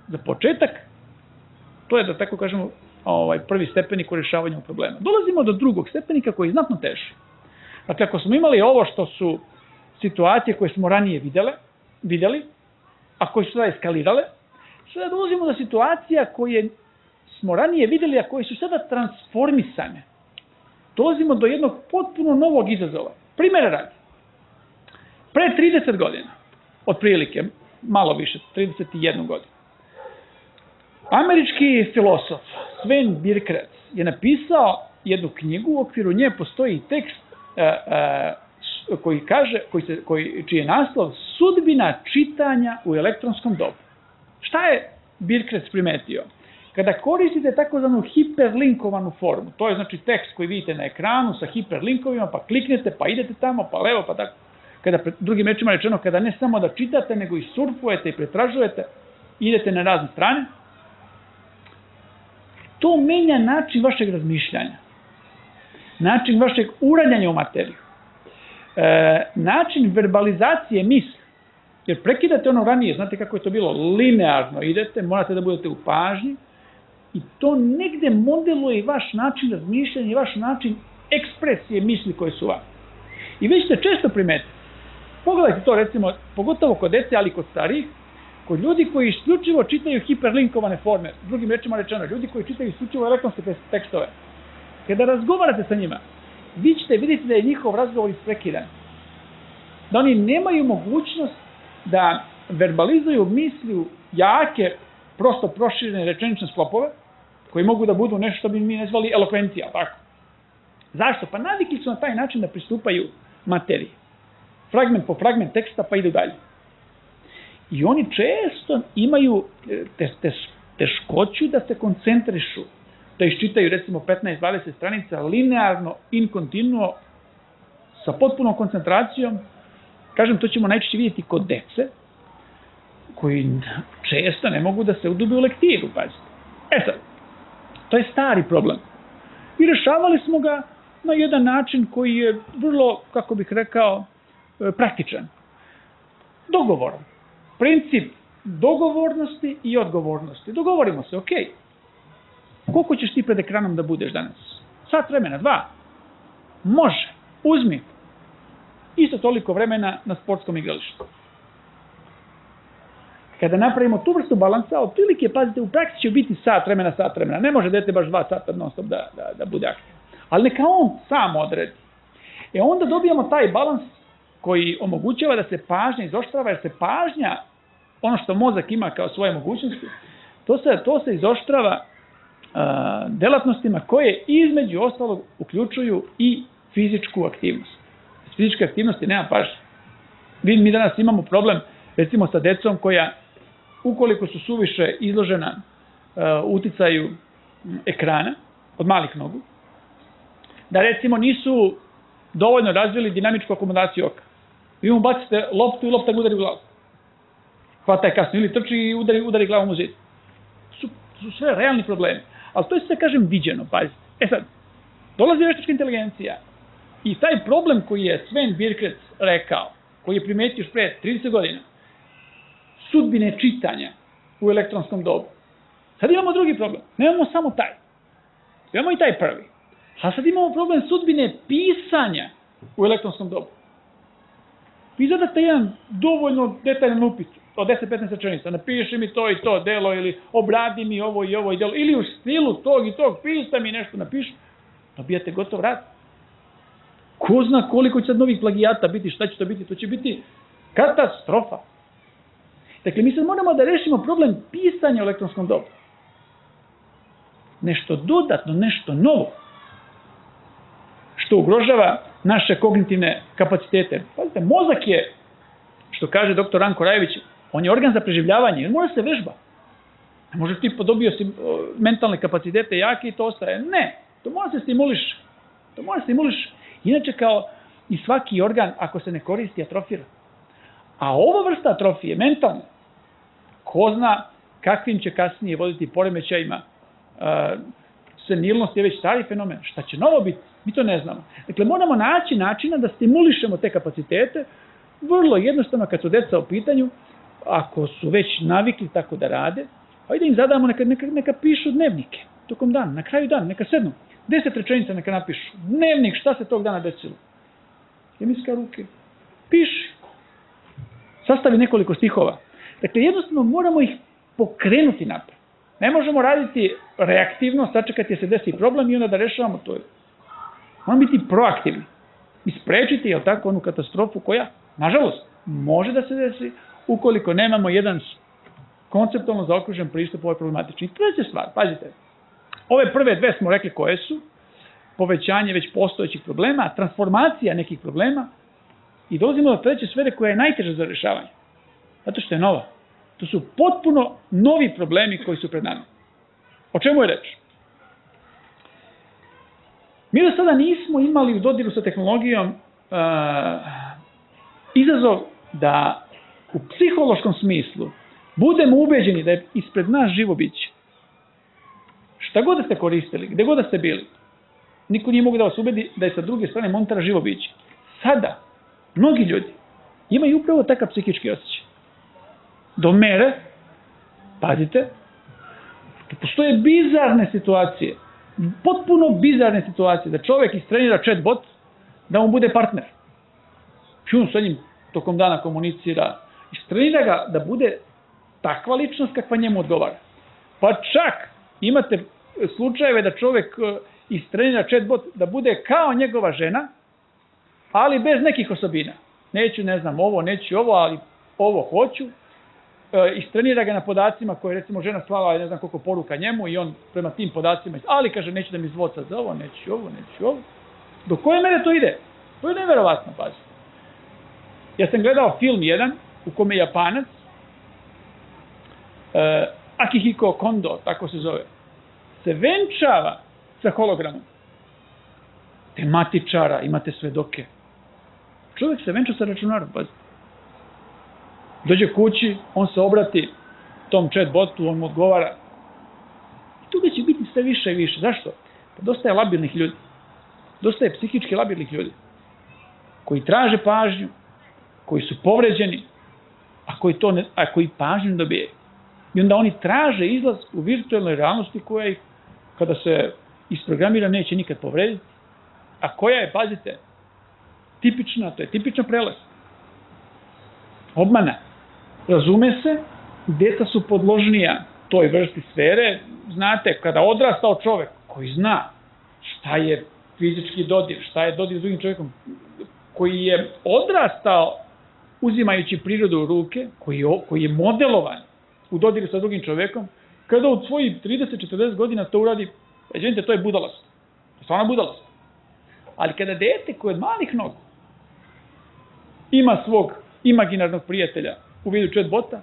Za početak, to je, da tako kažemo, prvi stepenik u rješavanju problema. Dolazimo do drugog stepenika koji je znatno teži. Dakle, ako smo imali ovo što su situacije koje smo ranije vidjeli, a koje su sada eskalirale, sada dolazimo do situacija koje smo ranije vidjeli, a koje su sada transformisane. Dolazimo do jednog potpuno novog izazova. Primjera radi. Pre 30 godina, otprilike, malo više, 31 godinu, američki filosof Sven Birkratz je napisao jednu knjigu, u okviru nje postoji tekst čiji je naslov Sudbina čitanja u elektronskom dobu. Šta je Birkratz primetio? Kada koristite takozvanu hiperlinkovanu formu, to je znači tekst koji vidite na ekranu sa hiperlinkovima, pa kliknete, pa idete tamo, pa levo, pa tako. Kada, drugim rečima rečeno, kada ne samo da čitate, nego i surfujete i pretražujete, idete na razne strane, to menja način vašeg razmišljanja, način vašeg uranjanja u materiju, način verbalizacije misli. Jer prekidate ono ranije, znate kako je to bilo, linearno idete, morate da budete u pažnji i to negde modeluje i vaš način razmišljanja i vaš način ekspresije misli koje su vam. I vi ćete često primetiti, pogledajte to recimo, pogotovo kod dece, ali i kod starijih, kod ljudi koji isključivo čitaju hiperlinkovane forme, drugim rečima rečeno, ljudi koji čitaju isključivo elektronske tekstove. Kada razgovarate sa njima, vi ćete vidjeti da je njihov razgovor isprekidan. Da oni nemaju mogućnost da verbalizuju misli jake, prosto proširene rečenične sklopove, koji mogu da budu nešto što bi mi nazvali elokvencija, tako. Zašto? Pa navikli su na taj način da pristupaju materiji. Fragment po fragment teksta pa idu dalje. I oni često imaju teškoću da se koncentrišu, da iščitaju recimo 15-20 stranica linearno, in continuo, sa potpunom koncentracijom. Kažem, to ćemo najčešće vidjeti kod dece, koji često ne mogu da se udube u lektiru, pazite. Sad, to je stari problem. I rešavali smo ga na jedan način koji je vrlo, kako bih rekao, praktičan. Dogovorom. Princip dogovornosti i odgovornosti. Dogovorimo se, ok. Koliko ćeš ti pred ekranom da budeš danas? Sat vremena, 2. Može. Uzmi. Isto toliko vremena na sportskom igralištu. Kada napravimo tu vrstu balansa, otprilike, pazite, u praksi će biti sat vremena. Ne može dete baš 2 sata non stop da bude aktivno. Ali neka on sam odredi. Onda dobijamo taj balans koji omogućava da se pažnja izoštrava, jer se pažnja, ono što mozak ima kao svoje mogućnosti, to se izoštrava delatnostima koje između ostalog uključuju i fizičku aktivnost. S fizičke aktivnosti nema pažnje. Mi danas imamo problem, recimo sa decom koja, ukoliko su suviše izložena uticaju ekrana od malih nogu, da recimo nisu dovoljno razvili dinamičku akomodaciju oka. Vi mu bacite loptu i lopta ga udari u glavu. Hvata je kasno ili trči i udari glavom u zid. Su sve realni problemi. Ali to je sve, kažem, viđeno, pazite. Sad, dolazi veštačka inteligencija i taj problem koji je Sven Birkec rekao, koji je primetio još pre 30 godina, sudbine čitanja u elektronskom dobu. Sad imamo drugi problem. Nemamo samo taj. Imamo i taj prvi. A sad imamo problem sudbine pisanja u elektronskom dobu. Vi zadate jedan dovoljno detaljan upit od 10-15 rečenica. Napiši mi to i to delo ili obradi mi ovo i ovo i delo. Ili u stilu tog i tog pista mi nešto napiši. Dobijate gotov rad. Ko zna koliko će sad novih plagijata biti, šta će to biti? To će biti katastrofa. Dakle, mi sad moramo da rešimo problem pisanja u elektronskom dobu. Nešto dodatno, nešto novo, što ugrožava naše kognitivne kapacitete. Pazite, mozak je, što kaže dr. Ranko Rajević, on je organ za preživljavanje, on mora se vežba. Ne možeš ti podobio si mentalne kapacitete jake i to ostaje. Ne, to mora se stimuliš. Inače, kao i svaki organ, ako se ne koristi, atrofira. A ova vrsta atrofije, mentalne, ko zna kakvim će kasnije voditi poremećajima. Senilnost je već stari fenomen. Šta će novo biti? Mi to ne znamo. Dakle, moramo naći načina da stimulišemo te kapacitete, vrlo jednostavno kad su deca u pitanju, ako su već navikli tako da rade, ajde im zadamo, neka pišu dnevnike tokom dana, na kraju dana, neka sednu. 10 rečenica neka napišu. Dnevnik, šta se tog dana desilo? Hemijska ruke. Piši. Sastavi nekoliko stihova. Dakle, jednostavno moramo ih pokrenuti napred. Ne možemo raditi reaktivno, sačekati se desi problem i onda da rešavamo to. Moramo biti proaktivni. I sprečiti, jel tako, onu katastrofu koja, nažalost, može da se desi ukoliko nemamo jedan konceptualno zaokružen pristup ovoj problematični. I treća stvar, pazite, ove prve dve smo rekli koje su, povećanje već postojećih problema, transformacija nekih problema i dolazimo do treće sfere koja je najteža za rešavanje. Zato što je nova. To su potpuno novi problemi koji su pred nama. O čemu je reč? Mi do sada nismo imali u dodiru sa tehnologijom izazov da u psihološkom smislu budemo ubeđeni da je ispred nas živo biće. Šta god da ste koristili, gde god da ste bili, niko nije mogu da vas ubedi da je sa druge strane monitora živo biće. Sada, mnogi ljudi imaju upravo takav psihički osjećaj. do mere, pazite, postoje bizarne situacije, potpuno bizarne situacije, da čovjek istrenira chatbot, da mu bude partner. I on sa njim tokom dana komunicira, istrenira ga da bude takva ličnost kakva njemu odgovara. Pa čak imate slučajeve da čovjek istrenira chatbot da bude kao njegova žena, ali bez nekih osobina. Neću, ne znam, ovo, neću ovo, ali ovo hoću. Istrenira ga na podacima koje recimo žena slala, ne znam koliko poruka njemu i on prema tim podacima, ali kaže neću da mi zvoca za ovo, neću ovo. Do koje mere to ide? To je neverovatno, pazi. Ja sam gledao film jedan u kome Japanac, Akihiko Kondo, tako se zove, se venčava sa hologramom. Tematičara, imate svedoke. Čovjek se venča sa računarom, pazi. Dođe kući, on se obrati tom chatbotu, on mu odgovara. I toga će biti sve više i više. Zašto? Pa dosta je labilnih ljudi. Dosta je psihički labilnih ljudi. Koji traže pažnju, koji su povređeni, a koji pažnju dobijaju. I onda oni traže izlaz u virtualnoj realnosti koja ih, kada se isprogramira, neće nikad povrediti. A koja je, pazite, tipična, to je tipična prelaz. Obmana. Razume se, djeca su podložnija toj vrsti sfere. Znate, kada odrastao čovjek koji zna šta je fizički dodir, šta je dodir s drugim čovjekom, koji je odrastao uzimajući prirodu u ruke, koji je modelovan u dodiru sa drugim čovjekom, kada od svojih 30-40 godina to uradi, vidite, to je budalost. To je stvarno budalost. Ali kada dete koje od malih nogu ima svog imaginarnog prijatelja u vidu chatbota,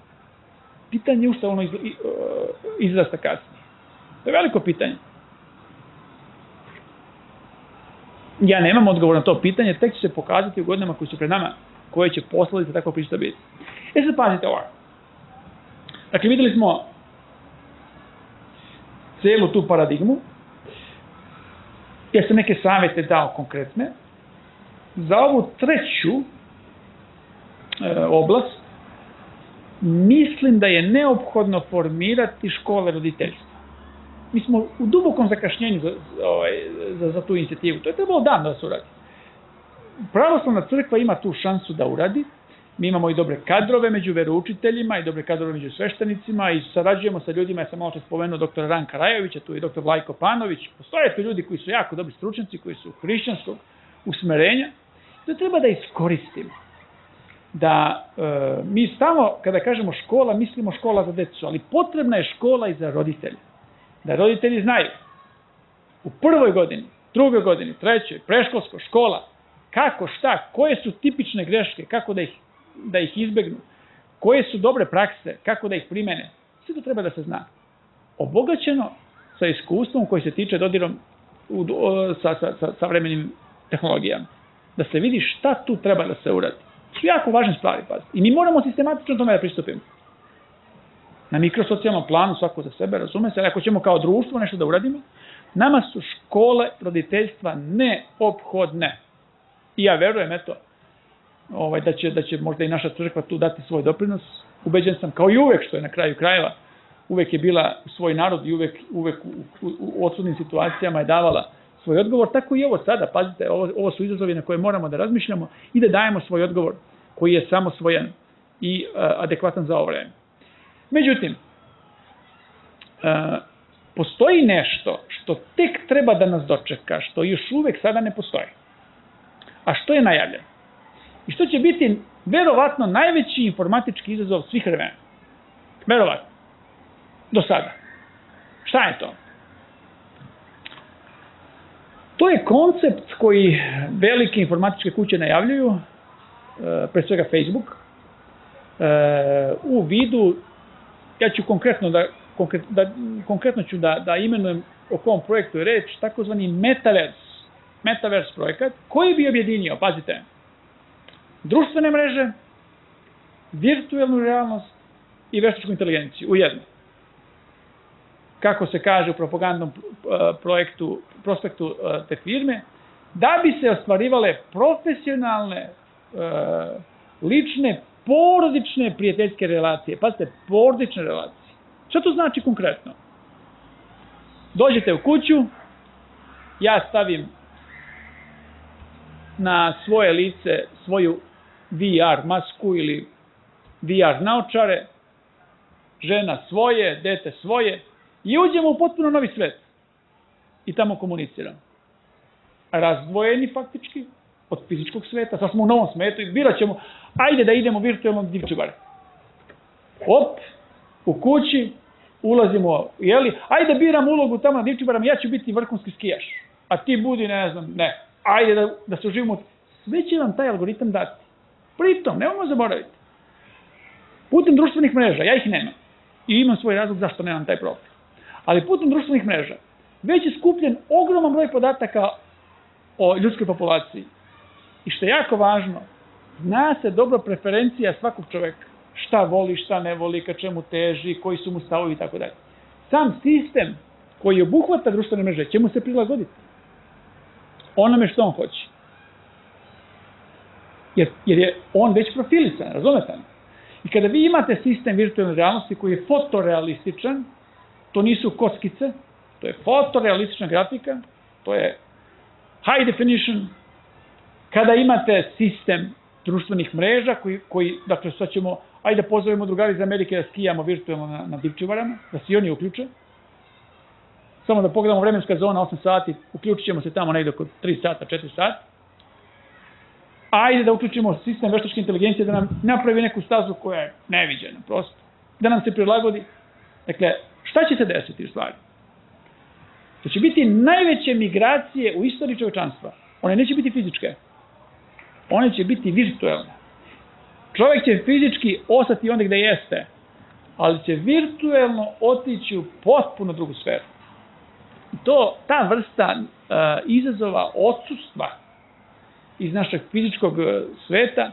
pitanje je ušto ono izrasta kasnije. To je veliko pitanje. Ja nemam odgovor na to pitanje, tek će se pokazati u godinama koji su pred nama, koje će posledice takva priča biti. Sad pazite ovako. Dakle, videli smo cijelu tu paradigmu. Ja sam neke savjete dao konkretne. Za ovu treću oblast mislim da je neophodno formirati škole roditeljstva. Mi smo u dubokom zakašnjenju za tu inicijativu. To je trebalo dan da se uradi. Pravoslavna crkva ima tu šansu da uradi. Mi imamo i dobre kadrove među veroučiteljima i dobre kadrove među sveštenicima i sarađujemo sa ljudima, ja sam malo čas spomenuo doktora Ranka Rajovića, tu je doktor Vlajko Panović. Postoje tu ljudi koji su jako dobri stručnjaci, koji su hrišćanskog usmerenja. To treba da iskoristimo. Da mi stalno, kada kažemo škola, mislimo škola za decu, ali potrebna je škola i za roditelje. Da roditelji znaju u prvoj godini, drugoj godini, trećoj, preškolsko, škola, kako, šta, koje su tipične greške, kako da ih izbegnu, koje su dobre prakse, kako da ih primene. Sve to treba da se zna. Obogaćeno sa iskustvom koji se tiče dodirom sa savremenim tehnologijama. Da se vidi šta tu treba da se uradi. To su jako važne stvari, pazite. I mi moramo sistematično tome da pristupimo. Na mikrosocijalnom planu, svako za sebe, razume se, ali ako ćemo kao društvo nešto da uradimo, nama su škole roditeljstva neophodne. I ja verujem, eto, da će možda i naša crkva tu dati svoj doprinos. Ubeđen sam, kao i uvek, što je na kraju krajeva, uvek je bila u svoj narod i uvek u odsudnim situacijama je davala svoj odgovor, tako i ovo sada, pazite, ovo su izazovi na koje moramo da razmišljamo i da dajemo svoj odgovor koji je samosvojan i adekvatan za ovo vreme. Međutim, postoji nešto što tek treba da nas dočeka, što još uvek sada ne postoji, a što je najavljeno i što će biti verovatno najveći informatički izazov svih vremena. Verovatno. Do sada. Šta je to? To je koncept koji velike informatičke kuće najavljuju, pre svega Facebook, u vidu, ja ću konkretno ću da imenujem o kom projektu je reč, takozvani Metaverse projekat, koji bi objedinio, pazite, društvene mreže, virtualnu realnost i veštačku inteligenciju u jedno. Kako se kaže u propagandnom prospektu te firme, da bi se ostvarivale profesionalne, lične porodične prijateljske relacije. Pazite, porodične relacije. Šta to znači konkretno? Dođete u kuću, ja stavim na svoje lice svoju VR masku ili VR naočare, žena svoje, dete svoje i uđemo u potpuno novi svet. I tamo komuniciramo. Razdvojeni faktički od fizičkog sveta, sad smo u novom svetu i birat ćemo, ajde da idemo virtualno do Divčibara. Op, u kući, ulazimo, jeli, ajde da biram ulogu tamo na Divčibarama, ja ću biti vrhunski skijaš, a ti budi, ne znam, ne, ajde da se uživimo, sve će vam taj algoritam dati. Pritom, nemojmo zaboraviti, putem društvenih mreža, ja ih nemam i imam svoj razlog zašto nemam taj profil, ali putem društvenih mreža već je skupljen ogroman broj podataka o ljudskoj populaciji. I što je jako važno, zna se dobro preferencija svakog čoveka. Šta voli, šta ne voli, ka čemu teži, koji su mu stavovi i tako dalje. Sam sistem koji obuhvata društvene mreže će mu se prilagoditi onome što on hoće. Jer je on već profilisan, razumete? I kada vi imate sistem virtualne realnosti koji je fotorealističan, to nisu kockice, to je fotorealistična grafika, to je high definition. Kada imate sistem društvenih mreža koji dakle, sad ćemo, ajde da pozovemo drugari iz Amerike da skijamo virtualno na Divčibarama, da se i oni uključe. Samo da pogledamo vremenska zona, 8 sati, uključit ćemo se tamo negdje oko 3 sata, 4 sata. Ajde da uključimo sistem veštačke inteligencije da nam napravi neku stazu koja je neviđena, prosto. Da nam se prilagodi. Dakle, šta će se desiti u stvari? To će biti najveće migracije u istoriji čovečanstva. One neće biti fizičke. One će biti virtualne. Čovjek će fizički ostati onda gde jeste, ali će virtualno otići u potpuno drugu sferu. Ta vrsta izazova odsustva iz našeg fizičkog sveta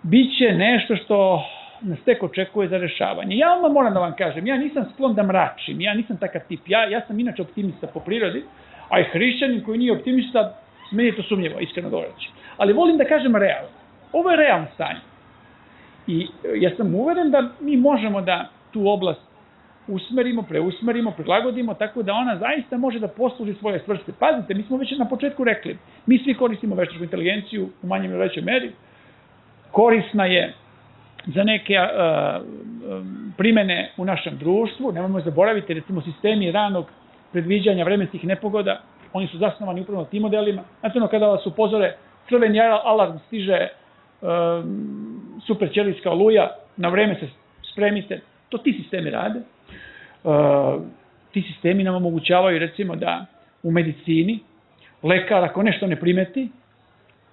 bit će nešto što nas tek očekuje za rešavanje. Ja odmah moram da vam kažem, ja nisam sklon da mračim, ja nisam takav tip, ja sam inače optimista po prirodi, a i hrišćanin koji nije optimista, meni je to sumnjivo, iskreno govoreći. Ali volim da kažem realno. Ovo je realno stanje. I ja sam uveren da mi možemo da tu oblast usmerimo, preusmerimo, prilagodimo, tako da ona zaista može da posluži svoje svrste. Pazite, mi smo već na početku rekli, mi svi koristimo veštačku inteligenciju u manjem ili većoj meri, korisna je za neke primene u našem društvu, nemojmo zaboraviti, recimo sistemi ranog predviđanja vremenskih nepogoda, oni su zasnovani upravo na tim modelima. Znate ono kada vas upozore, crveni alarm stiže, super ćelijska oluja, na vreme se spremite, to ti sistemi rade. Ti sistemi nam omogućavaju recimo da u medicini lekar ako nešto ne primeti,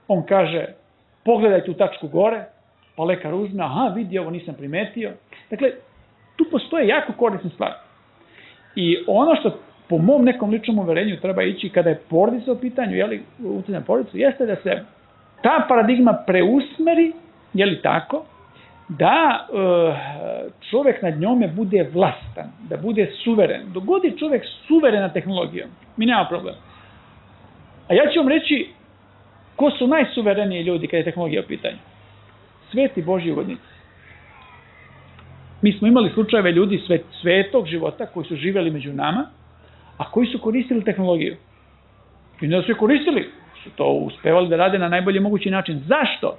on kaže pogledajte u tačku gore, pa lekar uzme, aha vidi ovo nisam primetio. Dakle, tu postoje jako korisne stvari. I ono što po mom nekom ličnom uverenju treba ići kada je porodica u pitanju, utjecaj na porodicu, jeste da se ta paradigma preusmeri, tako, da čovjek nad njome bude vlastan, da bude suveren. Dok god je čovjek suveren na tehnologijom, mi nema problema. A ja ću vam reći ko su najsuvereniji ljudi kada je tehnologija u pitanju. Sveti Božji ugodnici. Mi smo imali slučajeve ljudi svetog života koji su živjeli među nama, a koji su koristili tehnologiju. I ne da su je koristili, su to uspevali da rade na najbolji mogući način. Zašto?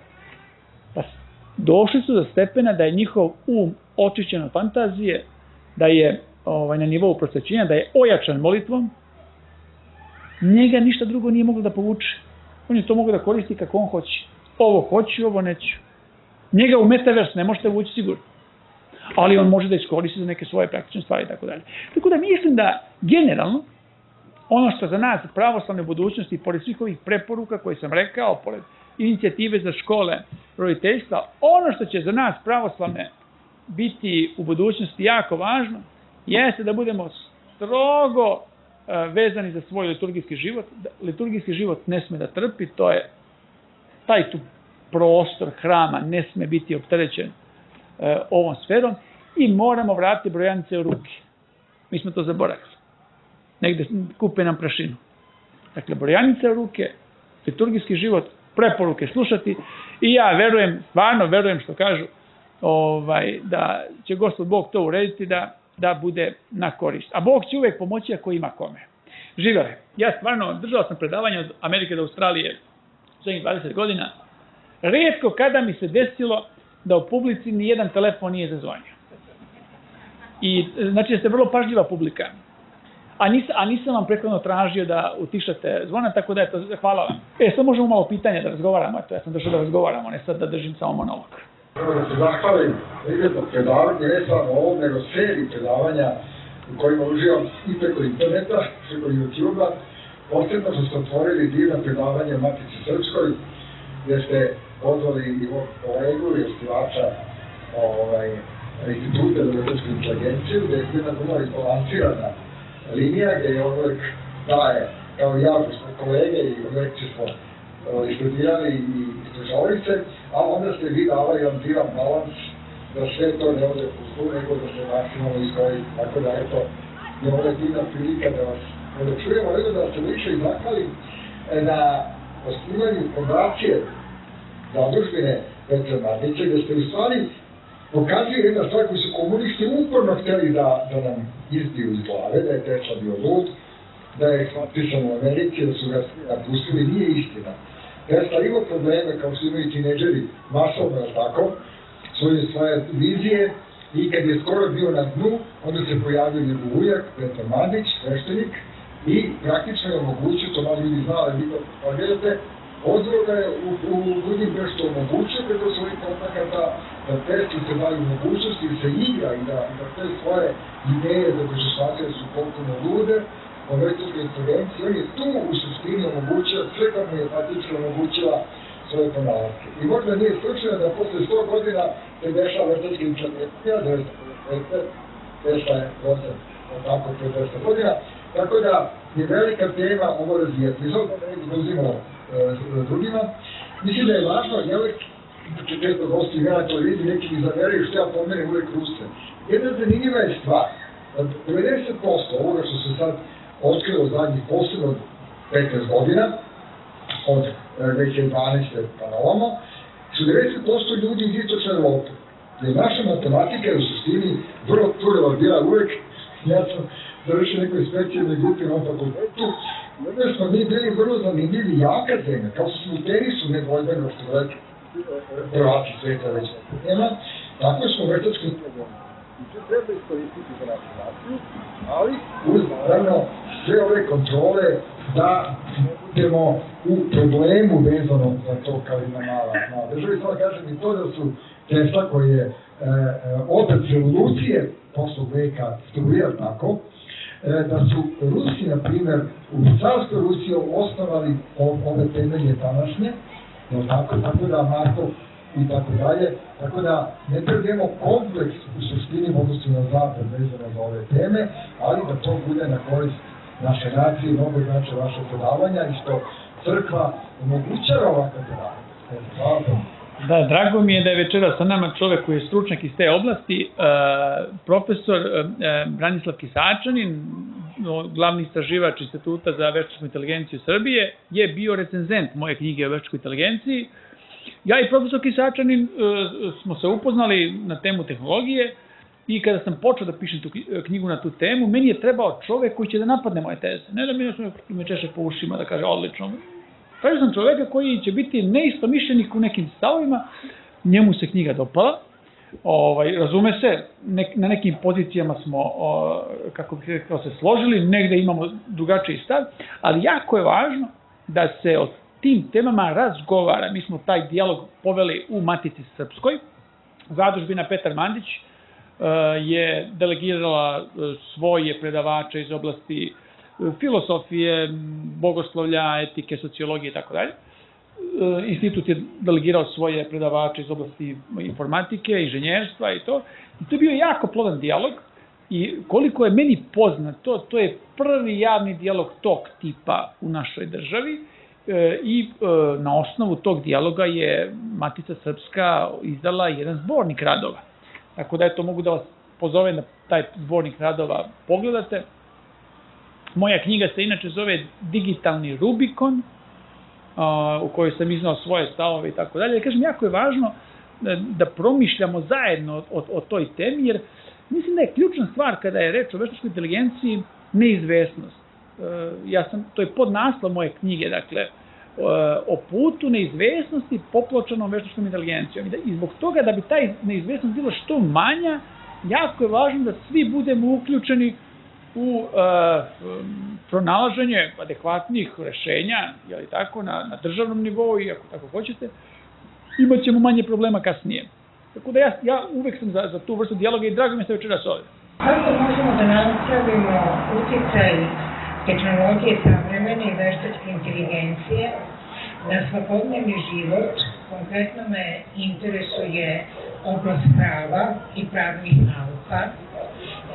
Pa došli su do stepena da je njihov očišćen od fantazije, da je na nivou prosvećenja, da je ojačan molitvom, njega ništa drugo nije moglo da povuče. On je to mogao da koristi kako on hoće. Ovo hoću, ovo neću. Njega u metavers ne možete vući sigurno. Ali on može da iskoristi za neke svoje praktične stvari i tako dalje. Tako da mislim da generalno ono što za nas pravoslavne budućnosti, pored svih ovih preporuka koje sam rekao, pored inicijative za škole roditeljstva, ono što će za nas pravoslavne biti u budućnosti jako važno, jeste da budemo strogo vezani za svoj liturgijski život. Liturgijski život ne sme da trpi, to je taj tu prostor hrama ne sme biti opterećen ovom sferom i moramo vratiti brojanice u ruke. Mi smo to zaboravili. Negde kupe nam prašinu. Dakle, brojanice u ruke, liturgijski život preporuke slušati i ja verujem, stvarno verujem što kažu da će Gospod Bog to urediti da bude na korist. A Bog će uvijek pomoći ako ima kome. Živjeli. Ja stvarno držao sam predavanja od Amerike do Australije zadnjih 20 godina. Rijetko kada mi se desilo da u publici ni jedan telefon nije zazvonio. I znači da ste vrlo pažljiva publika. A nisam vam prethodno tražio da utišate zvona, tako da eto, hvala vam. Sad možemo malo pitanja da razgovaramo, eto, ja sam došao da razgovaramo, ne sad da držim samo monolog. Prvo da se zahvalim za predavanje, ne samo ovom, nego seriji predavanja u kojima uživam i preko interneta, preko YouTube-a. Posebno što ste otvorili divno predavanje o Matici Srpskoj, gdje ste pozvali i ovog kolegu i osnivača Instituta za veštačku inteligenciju, gdje je jedna vrlo izbalansirana linija, gdje je on uvijek daje, kao i ja, smo kolege i lekcije smo studirali i istražavali se, a onda ste vi davali jedan divan balans da sve to ne ode u zlu, nego da se maksimalno izgoji. Tako da, eto, je ovdje divna prilika da vas čujemo, nego da se više i zahvalim na osnivanju fondacije zadužbine Petra Mandića, gdje ste u stvari pokazuje jedna stvar koju su komunisti uporno htjeli da nam izbiju iz glave, da je Tesla bio lud, da je eksploatisan u Americi, da su ga napustili, nije istina. Tesla imao probleme, kao su imaju tineđeri, masovno, tako, svoje vizije, i kad je skoro bio na dnu, onda se pojavio njegov ujak, Petar Mandić, sveštenik, i praktično je omogućio, to malo ljudi znali, vi to pogledate, pozvao ga je u Budimpeštu omogućio preko svojih kontakata da Tesla se daju mogućnosti da se igra i da te svoje ideje za koje su shvatili su potpuno lude o veštačkoj inteligenciji. On je tu u suštini omogućio sve kako mu je Matička omogućila svoje ponalatke. I možda nije slučajno da posle 100 godina se dešava veštačka inteligencija, Tesla je rođen tako pre 200 godina, tako da je velika tema ovo razvijati. Iz ovog ne izuzimamo drugima. Mislim da je važno, ja uvijek često gosti na televiziji, neki mi zameraju što ja pomenem uvijek Ruse. Jedna zanimljiva je stvar, 90% ovoga što se sad otkrilo zadnjih posebno 15 godina, od 2012. pa na ovamo, su 90% ljudi iz istočne Evrope. Jer naša matematika je u suštini vrlo turova bila uvijek, ja sam završio nekoj specijalnoj grupi na fakultetu, jer smo mi bili vrlo zanimljivi jaka zemlja, kao što smo u tenisu nedvojbeno što reći, prvaci sveta već nema, tako smo veštački inteligenciju. I to treba iskoristiti za našu naciju, ali uz naravno sve ove kontrole da ne budemo u problemu vezano za to kao jedna mala država. I samo kažem i to da su Tesla koji je otac revolucije prošlog veka struje, tako, da su Rusi, na primjer, u carskoj Rusiji osnovali ove temelje današnje, tako da Markov i tako dalje, tako da ne trebamo kompleks u suštini odnosu na zapad vezano za ove teme, ali da to bude na korist naše nacije, mnogo znači vaše predavanja i što crkva omogućava ovakve predavanja. Da, drago mi je da je večera sa nama čovjek koji je stručnjak iz te oblasti, profesor Branislav Kisačanin, glavni istraživač Instituta za veštačku inteligenciju Srbije, je bio recenzent moje knjige o veštačkoj inteligenciji. Ja i profesor Kisačanin smo se upoznali na temu tehnologije i kada sam počeo da pišem tu knjigu na tu temu, meni je trebao čovjek koji će da napadne moje teze. Ne da me češe po ušima da kaže odlično. Tražio sam čovjeka koji će biti neistomišljenik u nekim stavovima, njemu se knjiga dopala, razume se, na nekim pozicijama smo, kako bih rekao, se složili, negde imamo drugačiji stav, ali jako je važno da se o tim temama razgovara. Mi smo taj dijalog poveli u Matici Srpskoj. Zadužbina Petar Mandić je delegirala svoje predavače iz oblasti filosofije, bogoslovlja, etike, sociologije i tako dalje. Institut je delegirao svoje predavače iz oblasti informatike, inženjerstva i to. I to je bio jako plodan dijalog i koliko je meni poznato, to je prvi javni dijalog tog tipa u našoj državi i na osnovu tog dijaloga je Matica Srpska izdala jedan zbornik radova. Tako da mogu da vas pozovem da taj zbornik radova pogledate. Moja knjiga se inače zove Digitalni Rubikon u kojoj sam iznao svoje stavove i tako dalje. Kažem, jako je važno da promišljamo zajedno o toj temi, jer mislim da je ključna stvar kada je reč o veštačkoj inteligenciji neizvesnost. To je podnaslov moje knjige, dakle, o putu neizvesnosti popločanom veštačkom inteligencijom. I zbog toga da bi taj neizvesnost bila što manja, jako je važno da svi budemo uključeni u pronalaženje adekvatnih rešenja, jeli tako, na državnom nivou i ako tako hoćete, imat ćemo manje problema kasnije. Tako da ja uvek sam za tu vrstu dijaloga i drago mi se večeras ovdje. Kako možemo da napravimo uticaj tehnologije savremene i veštačke inteligencije na svakodnevni život? Konkretno me interesuje oblast prava i pravnih nauka.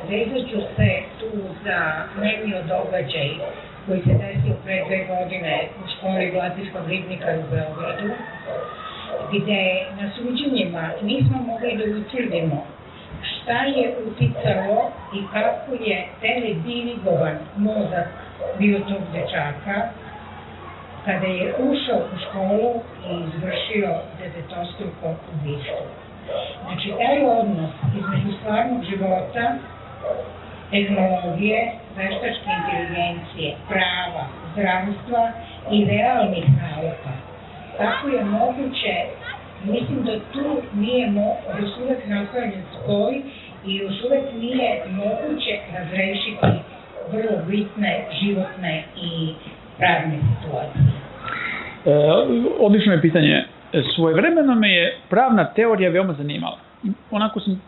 Vezat ću se tu za nemio događaj koji se desio pre 2 godine u školi Vladislav Ribnika u Beogradu, gde na suđenjima nismo mogli da utvrdimo šta je uticalo i kako je teledirigovan mozak bio tog dečaka kada je ušao u školu i izvršio devetostruko ubistvo. Znači, taj odnos između stvarnog života, tehnologije, veštačke inteligencije, prava, zdravstva i realnih nauka. Kako je moguće, mislim da tu nije još uvek napravljen spoj i još uvek nije moguće razrešiti vrlo bitne životne i pravne situacije. Odlično je pitanje. Svojevremeno me je pravna teorija veoma zanimala. Onako sam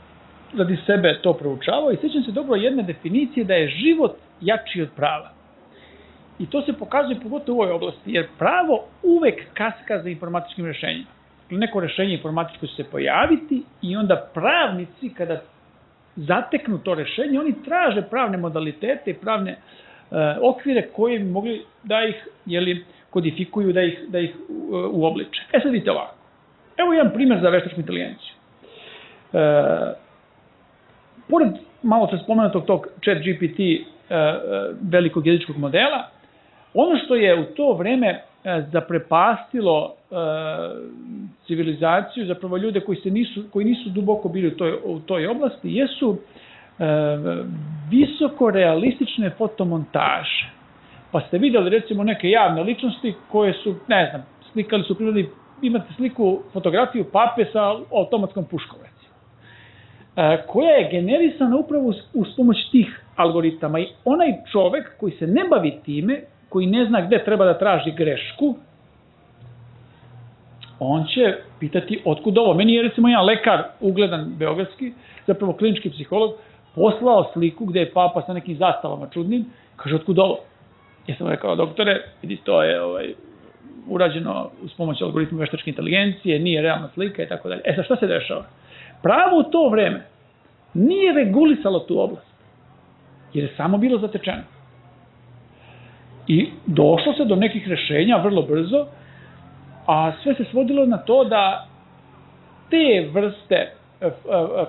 radi sebe to proučavao i sjećam se dobro jedne definicije da je život jači od prava. I to se pokazuje pogotovo u ovoj oblasti, jer pravo uvek kaska za informatičkim rešenjima. Neko rešenje informatičko će se pojaviti i onda pravnici kada zateknu to rešenje, oni traže pravne modalitete i pravne okvire koje bi mogli da ih kodifikuju, da ih uobliče. Sad vidite ovako. Evo jedan primjer za veštačku inteligenciju. Pored malo se spomenutog tog ChatGPT velikog jezičkog modela, ono što je u to vreme zaprepastilo civilizaciju, zapravo ljude koji nisu duboko bili u toj oblasti, jesu visoko realistične fotomontaže. Pa ste vidjeli recimo neke javne ličnosti koje su, ne znam, slikali su prirodi, imate fotografiju pape sa automatskom puškom, recimo, koja je generisana upravo uz pomoć tih algoritama. I onaj čovek koji se ne bavi time, koji ne zna gde treba da traži grešku, on će pitati otkud ovo. Meni je recimo jedan lekar, ugledan beogradski, zapravo klinički psiholog, poslao sliku gde je papa sa nekim zastavama čudnim, kaže otkud ovo. Ja sam rekao, doktore, vidi, to je urađeno uz pomoć algoritma veštačke inteligencije, nije realna slika i tako dalje. Sad šta se dešava? Pravo u to vreme nije regulisalo tu oblast, jer je samo bilo zatečeno. I došlo se do nekih rešenja vrlo brzo, a sve se svodilo na to da te vrste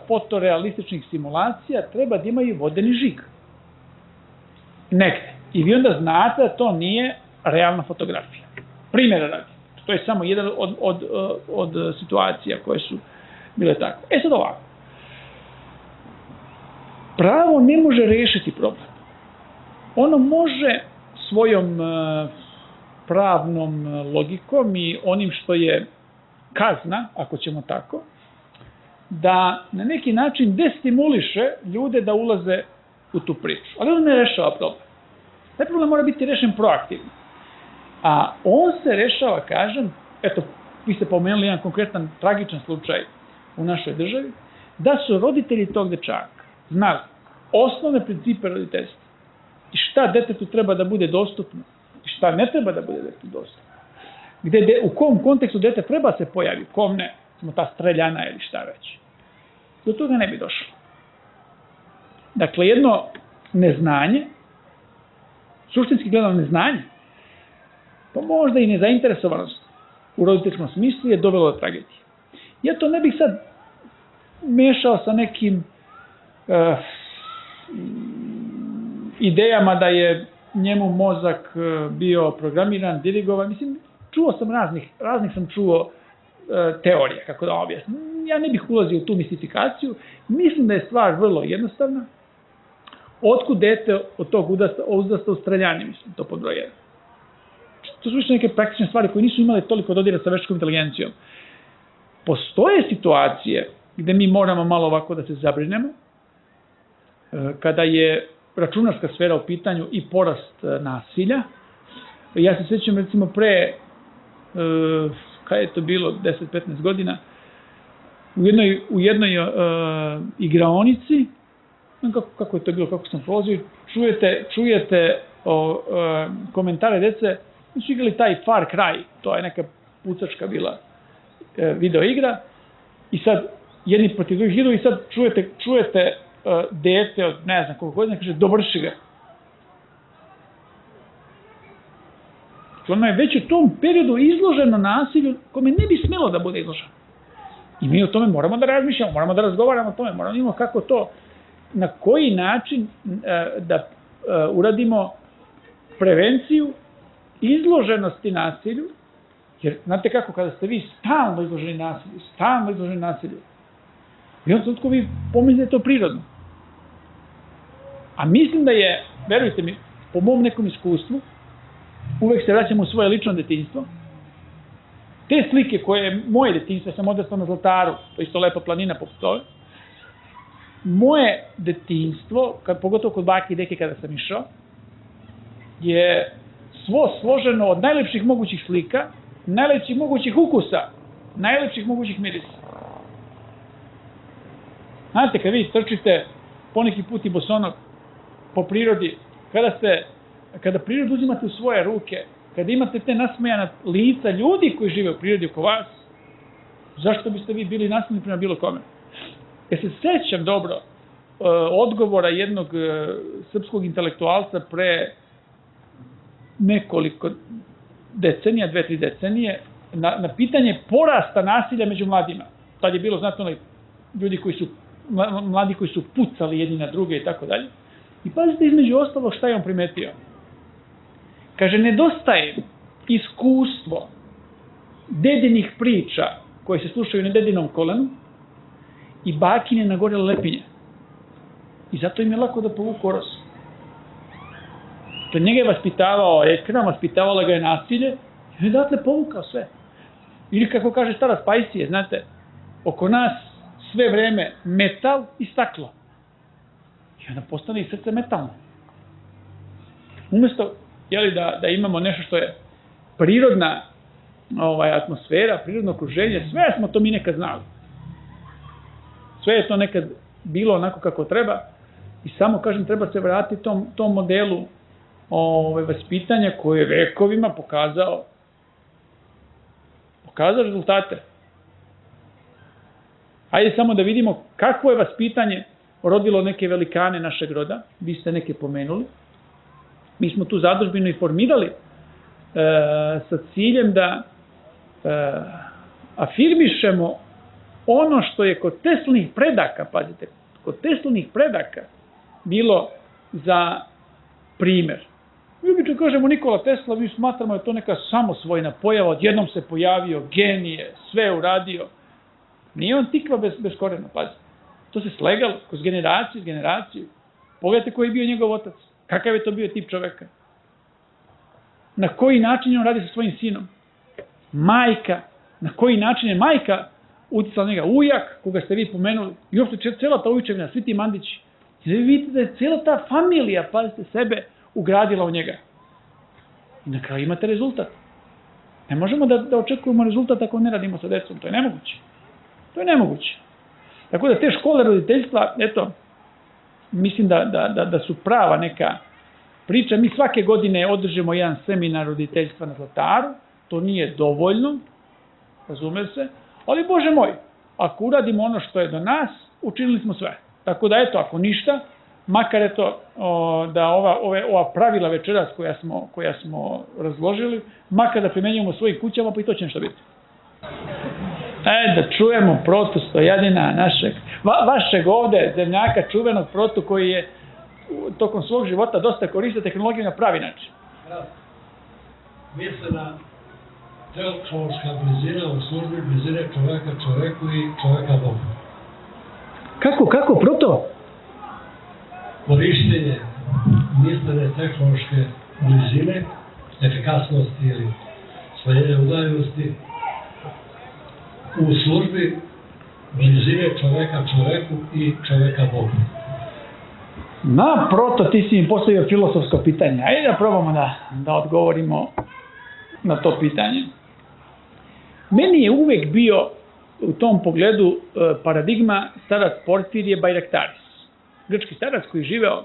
fotorealističnih simulacija treba da imaju vodeni žig. Negde. I vi onda znate da to nije realna fotografija. Primjera radi. To je samo jedan od situacija koje su bile tako. Sad ovako. Pravo ne može rešiti problem. Ono može svojom pravnom logikom i onim što je kazna, ako ćemo tako, da na neki način destimuliše ljude da ulaze u tu priču. Ali on ne rešava problem. Taj problem mora biti rešen proaktivno. A on se rešava, kažem, eto, vi ste pomenuli jedan konkretan tragičan slučaj u našoj državi, da su roditelji tog dečaka znali osnovne principe roditeljstva i šta detetu treba da bude dostupno i šta ne treba da bude detetu dostupno. U kom kontekstu dete treba se pojavi, kom ne, smo ta streljana ili šta već. Do toga ne bi došlo. Dakle, jedno neznanje, suštinski gledano neznanje, pa možda i nezainteresovanost u roditeljskom smislu je dovelo do tragedije. Ja to ne bih sad mešao sa nekim idejama da je njemu mozak bio programiran, dirigovan. Mislim, čuo sam raznih sam čuo teorija, kako da objasnim. Ja ne bih ulazio u tu mistifikaciju. Mislim da je stvar vrlo jednostavna. Otkud dete od tog uzrasta u streljani, mislim, to pod broj 1. To su više neke praktične stvari koje nisu imale toliko dodira sa veštačkom inteligencijom. Postoje situacije gde mi moramo malo ovako da se zabrinemo, kada je računarska sfera u pitanju i porast nasilja. Ja se sjećam recimo pre, kada je to bilo, 10-15 godina, u jednoj igraonici, kako je to bilo, kako sam prolazio, čujete komentare dece, su igrali taj Far Cry, to je neka pucačka bila video igra, i sad jedni protiv drugih idu i sad čujete dete od ne znam koliko godina kaže dovrši ga. Ono je već u tom periodu izloženo nasilju kome ne bi smelo da bude izloženo. I mi o tome moramo da razmišljamo, moramo da razgovaramo o tome, moramo da imamo kako to, na koji način da uradimo prevenciju izloženosti nasilju, jer znate kako, kada ste vi stalno izloženi nasilju, i onda tutko vi pomislite to prirodno. A mislim da je, verujte mi, po mom nekom iskustvu, uvek se vraćamo u svoje lično detinjstvo. Te slike koje je moje detinjstvo, ja sam odrastao na Zlataru, to je isto lepa planina poput ove, moje detinjstvo, pogotovo kod bake i deke kada sam išao, je svo složeno od najlepših mogućih slika, najlepših mogućih ukusa, najlepših mogućih mirisa. Znate, kad vi trčite poneki put i bosonog po prirodi, kada prirodu uzimate u svoje ruke, kada imate te nasmejana lica ljudi koji žive u prirodi oko vas, zašto biste vi bili nasmejani prema bilo kome? Ja se sećam dobro odgovora jednog srpskog intelektualca pre nekoliko decenija, 2-3 decenije, na pitanje porasta nasilja među mladima. Tad je bilo, znate, mladi koji su pucali jedni na druge i tako dalje. I pazite između ostalog šta je on primetio. Kaže, nedostaje iskustvo dedinih priča koje se slušaju na dedinom kolenu i bakine nagorele lepinje. I zato im je lako da povuku oros. To njega je vaspitavao ekran, vaspitavala ga je nasilje i odatle povukao sve. Ili kako kaže stara Spajsije, znate, oko nas sve vreme metal i staklo. I onda postane i srce metalno. Umesto da imamo nešto što je prirodna atmosfera, prirodno okruženje, sve smo to mi nekad znali. Sve je to nekad bilo onako kako treba i samo, kažem, treba se vratiti tom modelu vaspitanja koji je vekovima pokazao rezultate. Ajde samo da vidimo kakvo je vaspitanje rodilo neke velikane našeg roda, vi ste neke pomenuli. Mi smo tu zadužbinu i formirali sa ciljem da afirmišemo ono što je kod Teslinih predaka, pazite, kod Teslinih predaka bilo za primer. Mi obično kažemo Nikola Tesla, mi smatramo da je to neka samosvojna pojava, odjednom se pojavio, genije, sve uradio. Nije on tikva bez korena, pazite. To se slegalo kroz generaciju. Pogledajte koji je bio njegov otac. Kakav je to bio tip čoveka? Na koji način on radi sa svojim sinom? Majka. Na koji način je majka uticala njega? Ujak, koga ste vi pomenuli. I uopšte cela ta ujčevina, svi ti Mandići. I da vi vidite da je cela ta familija, pazite, sebe ugradila u njega. I na kraju imate rezultat. Ne možemo da očekujemo rezultat ako ne radimo sa decom. To je nemoguće. Tako da te škole roditeljstva, eto, mislim da su prava neka priča. Mi svake godine održimo jedan seminar roditeljstva na Zlataru. To nije dovoljno, razume se. Ali, Bože moj, ako uradimo ono što je do nas, učinili smo sve. Tako da, eto, ako ništa, makar eto, da ova pravila večeras koja smo razložili, makar da primenjujemo u svojim kućama, pa i to će nešto biti. Da čujemo Protu Stojadina, vašeg ovde zemljaka, čuvenog Protu, koji je tokom svog života dosta koristio tehnologiju na pravi način. Mislim tehnološka blizina u službi blizine čoveka čoveku i čoveka Bogu. Kako, proto? Korištenje mislene tehnološke blizine, efikasnosti ili smanjenja udaljenosti u službi blizine čoveka čoveku i čoveka Bogu. Naproto, ti si mi postavio filosofsko pitanje. Ajde da probamo da odgovorimo na to pitanje. Meni je uvek bio u tom pogledu paradigma starac Porfirije Bajraktaris. Grčki starac koji je živeo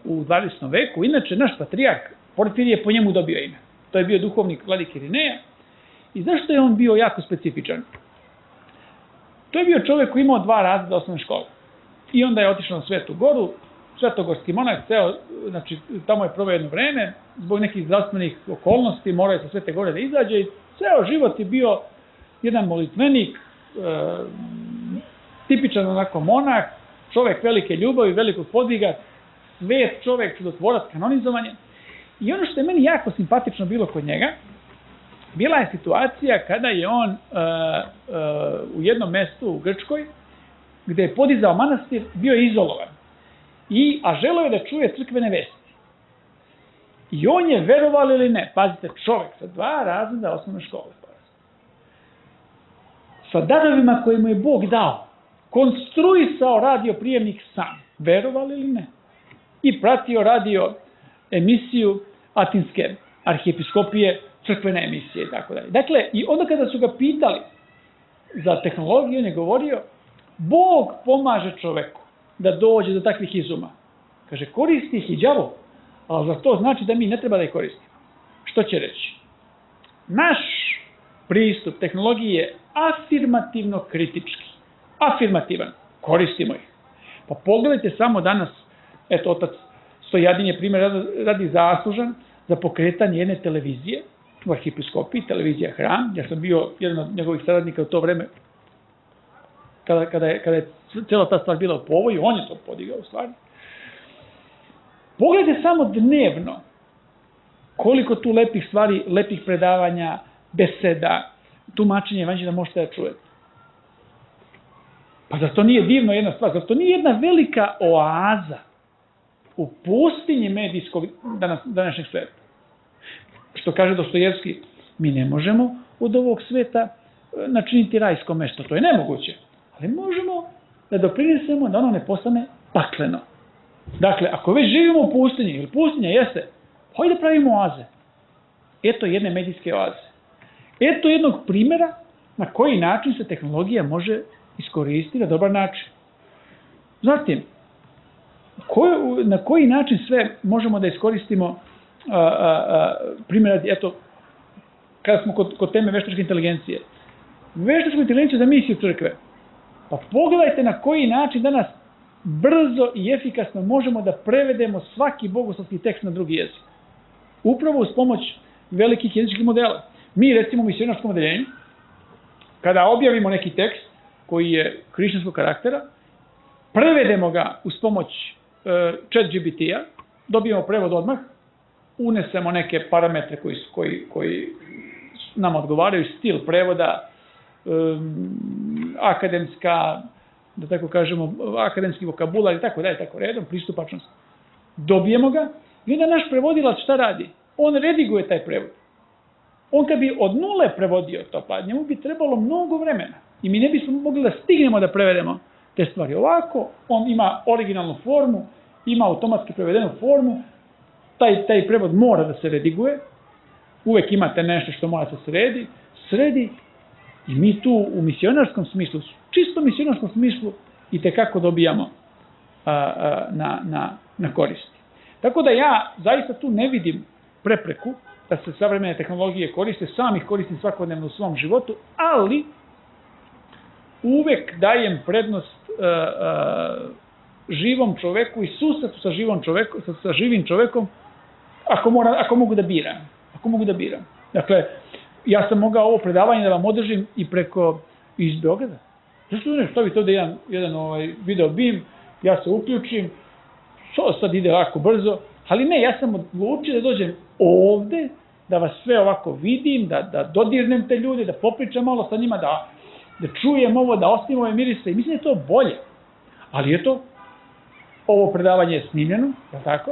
u 20. veku. Inače, naš patrijarh Porfirije po njemu dobio ime. To je bio duhovnik vladike Irineja. I zašto je on bio jako specifičan? To je bio čovjek koji imao 2 razreda osnovne škole. I onda je otišao na Svetu Goru, svetogorski monah, znači tamo je proveo jedno vreme, zbog nekih zdravstvenih okolnosti, morao je sa Svete Gore da izađe i ceo život je bio jedan molitvenik, tipičan onako monah, čovjek velike ljubavi, velikog podviga, svet čovjek, čudotvorac, kanonizovanje. I ono što je meni jako simpatično bilo kod njega, bila je situacija kada je on u jednom mestu u Grčkoj, gde je podizao manastir, bio je izolovan. A želeo je da čuje crkvene vesti. I on je, verovali ili ne, pazite, čovjek sa 2 razreda osnovne škole, sa darovima koje mu je Bog dao, konstruisao radio prijemnik sam, verovali ili ne, i pratio radio emisiju Atinske arhijepiskopije, crkvene emisije i tako dalje. Dakle, i onda kada su ga pitali za tehnologiju, on je govorio, Bog pomaže čoveku da dođe do takvih izuma. Kaže, koristi ih i đavo, ali za to znači da mi ne treba da ih koristimo. Što će reći? Naš pristup tehnologiji je afirmativno kritički. Afirmativan. Koristimo ih. Pa pogledajte samo danas, eto, otac Stojadin je primjer radi zaslužan za pokretanje jedne televizije u arhijepiskopiji, televizija Hram. Ja sam bio jedan od njegovih saradnika u to vreme kada je cijela ta stvar bila u povoju, on je to podigao u stvari. Pogledajte samo dnevno koliko tu lepih stvari, lepih predavanja, beseda, tumačenja evanđelja možete da čujete. Pa zar to nije divno jedna stvar? Zar to nije jedna velika oaza u pustinji medijskog današnjeg sveta? Što kaže Dostojevski, mi ne možemo od ovog sveta načiniti rajsko mesto. To je nemoguće. Ali možemo da doprinesemo da ono ne postane pakleno. Dakle, ako već živimo u pustinji, ili pustinja jeste, hajde da pravimo oaze. Eto jedne medijske oaze. Eto jednog primjera na koji način se tehnologija može iskoristiti na dobar način. Zatim, na koji način sve možemo da iskoristimo primjera, eto, kada smo kod teme veštačke inteligencije. Veštačku inteligenciju za misiju crkve. Pa pogledajte na koji način danas brzo i efikasno možemo da prevedemo svaki bogoslovski tekst na drugi jezik. Upravo uz pomoć velikih jezičkih modela. Mi, recimo, u misionarskom odeljenju, kada objavimo neki tekst koji je hrišćanskog karaktera, prevedemo ga uz pomoć ChatGPT-a, dobijemo prevod odmah, unesemo neke parametre koji nam odgovaraju, stil prevoda, akademska, da tako kažemo, akademski vokabular i tako dalje, tako redom, pristupačnost. Dobijemo ga i onda naš prevodilac šta radi? On rediguje taj prevod. On kad bi od nule prevodio to, pa njemu bi trebalo mnogo vremena i mi ne bismo mogli da stignemo da prevedemo te stvari. Ovako, on ima originalnu formu, ima automatski prevedenu formu, taj prevod mora da se rediguje, uvek imate nešto što mora da se sredi i mi tu u misionarskom smislu, čisto misionarskom smislu, i tekako dobijamo na koristi. Tako da ja zaista tu ne vidim prepreku da se savremene tehnologije koriste, sam ih koristim svakodnevno u svom životu, ali uvek dajem prednost živom čoveku i susretu sa živim čovekom ako mogu da biram. Dakle, ja sam mogao ovo predavanje da vam održim i iz Beograda. Zašto ne stavite ovde jedan video bim, ja se uključim, to sad ide lako brzo, ali ne, ja sam odlučio da dođem ovde da vas sve ovako vidim, da dodirnem te ljude, da popričam malo sa njima, da čujem ovo, da ostavim ove mirise. I mislim da je to bolje. Ali eto, ovo predavanje je snimljeno, je li tako?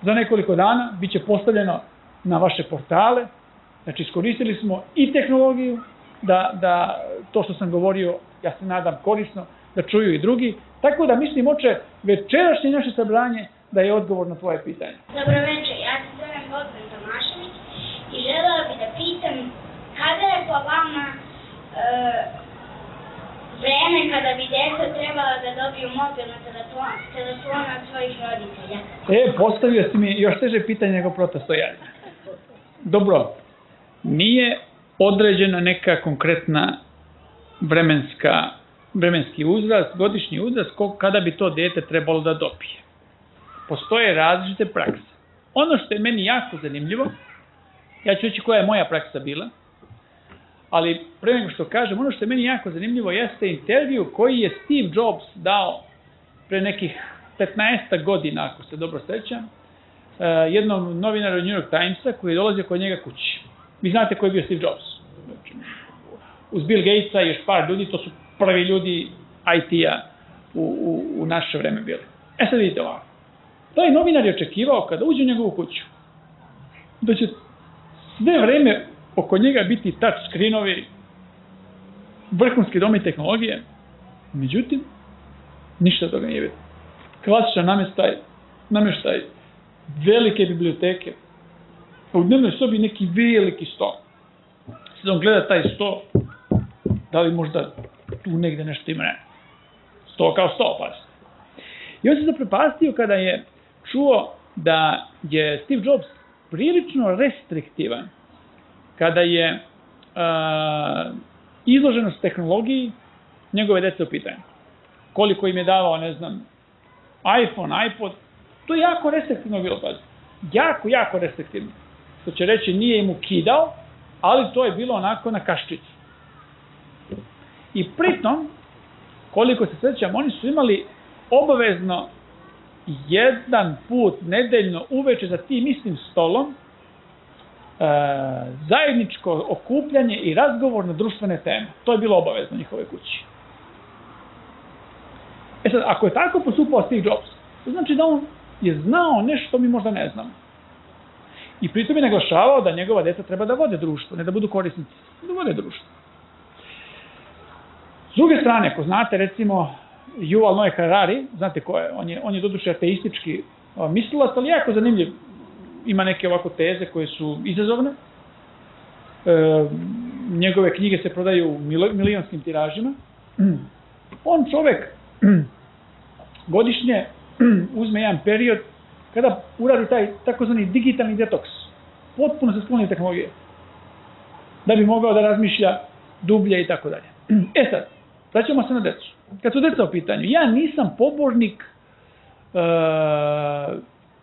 Za nekoliko dana bit će postavljeno na vaše portale. Znači, iskoristili smo i tehnologiju, da to što sam govorio, ja se nadam korisno, da čuju i drugi. Tako da mislim, oče, večerašnje naše sabranje da je odgovor na tvoje pitanje. Dobro večer, ja sam Zoran Bogdan Tomašević i želela bih da pitam kada je po vama vreme kada bi djeca trebala da dobiju mobilne telefone od svojih roditelja? Postavio si mi još teže pitanje nego protostojanje. Dobro, nije određena neka konkretna vremenski uzrast, godišnji uzrast kada bi to dete trebalo da dobije. Postoje različite prakse. Ono što je meni jako zanimljivo, ja ću reći koja je moja praksa bila, ali pre nego što kažem, ono što je meni jako zanimljivo jeste intervju koji je Steve Jobs dao pre nekih 15 godina, ako se dobro sećam, jednom novinaru New York Timesa koji je dolazio kod njega kući. Vi znate ko je bio Steve Jobs. Uz Bill Gatesa i još par ljudi, to su prvi ljudi IT-a u naše vreme bili. Sad vidite ovako. Taj novinar je očekivao kada uđe u njegovu kuću da će sve vreme oko njega biti touch screenovi, vrhunski domi tehnologije. Međutim, ništa toga nije bilo. Klasičan namještaj, velike biblioteke, u dnevnoj sobi neki veliki sto. Sad on gleda taj sto, da li možda tu negde nešto ima, ne. Sto kao sto, pazite. I on se zaprepastio kada je čuo da je Steve Jobs prilično restriktivan kada je izloženost tehnologiji njegove dece u pitanju. Koliko im je davao, ne znam, iPhone, iPod, to je jako restriktivno bilo, pazite. Jako restriktivno. To će reći, nije im ukidao, ali to je bilo onako na kaščicu. I pritom, koliko se sjećam, oni su imali obavezno jedan put nedeljno uveče za tim istim stolom zajedničko okupljanje i razgovor na društvene teme. To je bilo obavezno njihove kući. Sad, ako je tako postupao Steve Jobs, to znači da on je znao nešto što mi možda ne znamo. I pritom je naglašavao da njegova deca treba da vode društvo, ne da budu korisnici, da vode društvo. S druge strane, ako znate, recimo, Yuval Noah Harari, znate ko je, on je doduše ateistički mislilac, ali jako zanimljiv. Ima neke ovako teze koje su izazovne. Njegove knjige se prodaju u milionskim tiražima. On čovek godišnje uzme jedan period kada uradi taj takozvani digitalni detoks. Potpuno se skloni tehnologije. Da bi mogao da razmišlja dublje i tako dalje. Sad, vraćamo se na decu. Kad su deca u pitanju, ja nisam pobornik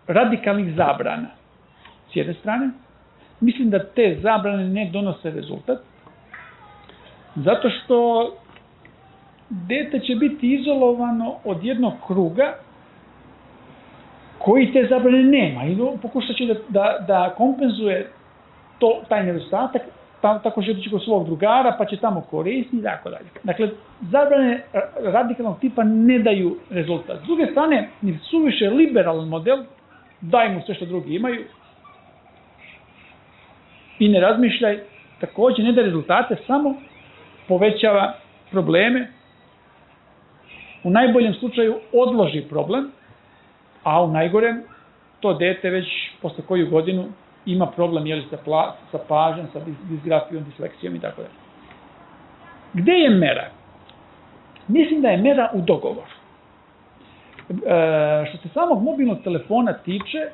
radikalnih zabrana. S jedne strane, mislim da te zabrane ne donose rezultat, zato što dete će biti izolovano od jednog kruga koji te zabrane nema i pokušat će da kompenzuje taj nedostatak tako što će kod svog drugara, pa će tamo koristiti i tako dalje. Dakle, zabrane radikalnog tipa ne daju rezultat. S druge strane, ni suviše liberalan model, daj mu sve što drugi imaju i ne razmišljaj, također ne daje rezultate, samo povećava probleme. U najboljem slučaju odloži problem, a u najgorem to dete već posle koju godinu ima problem sa pažnjom, sa disgrafijom, disleksijom i tako dalje. Gde je mera? Mislim da je mera u dogovoru. Što se samog mobilnog telefona tiče,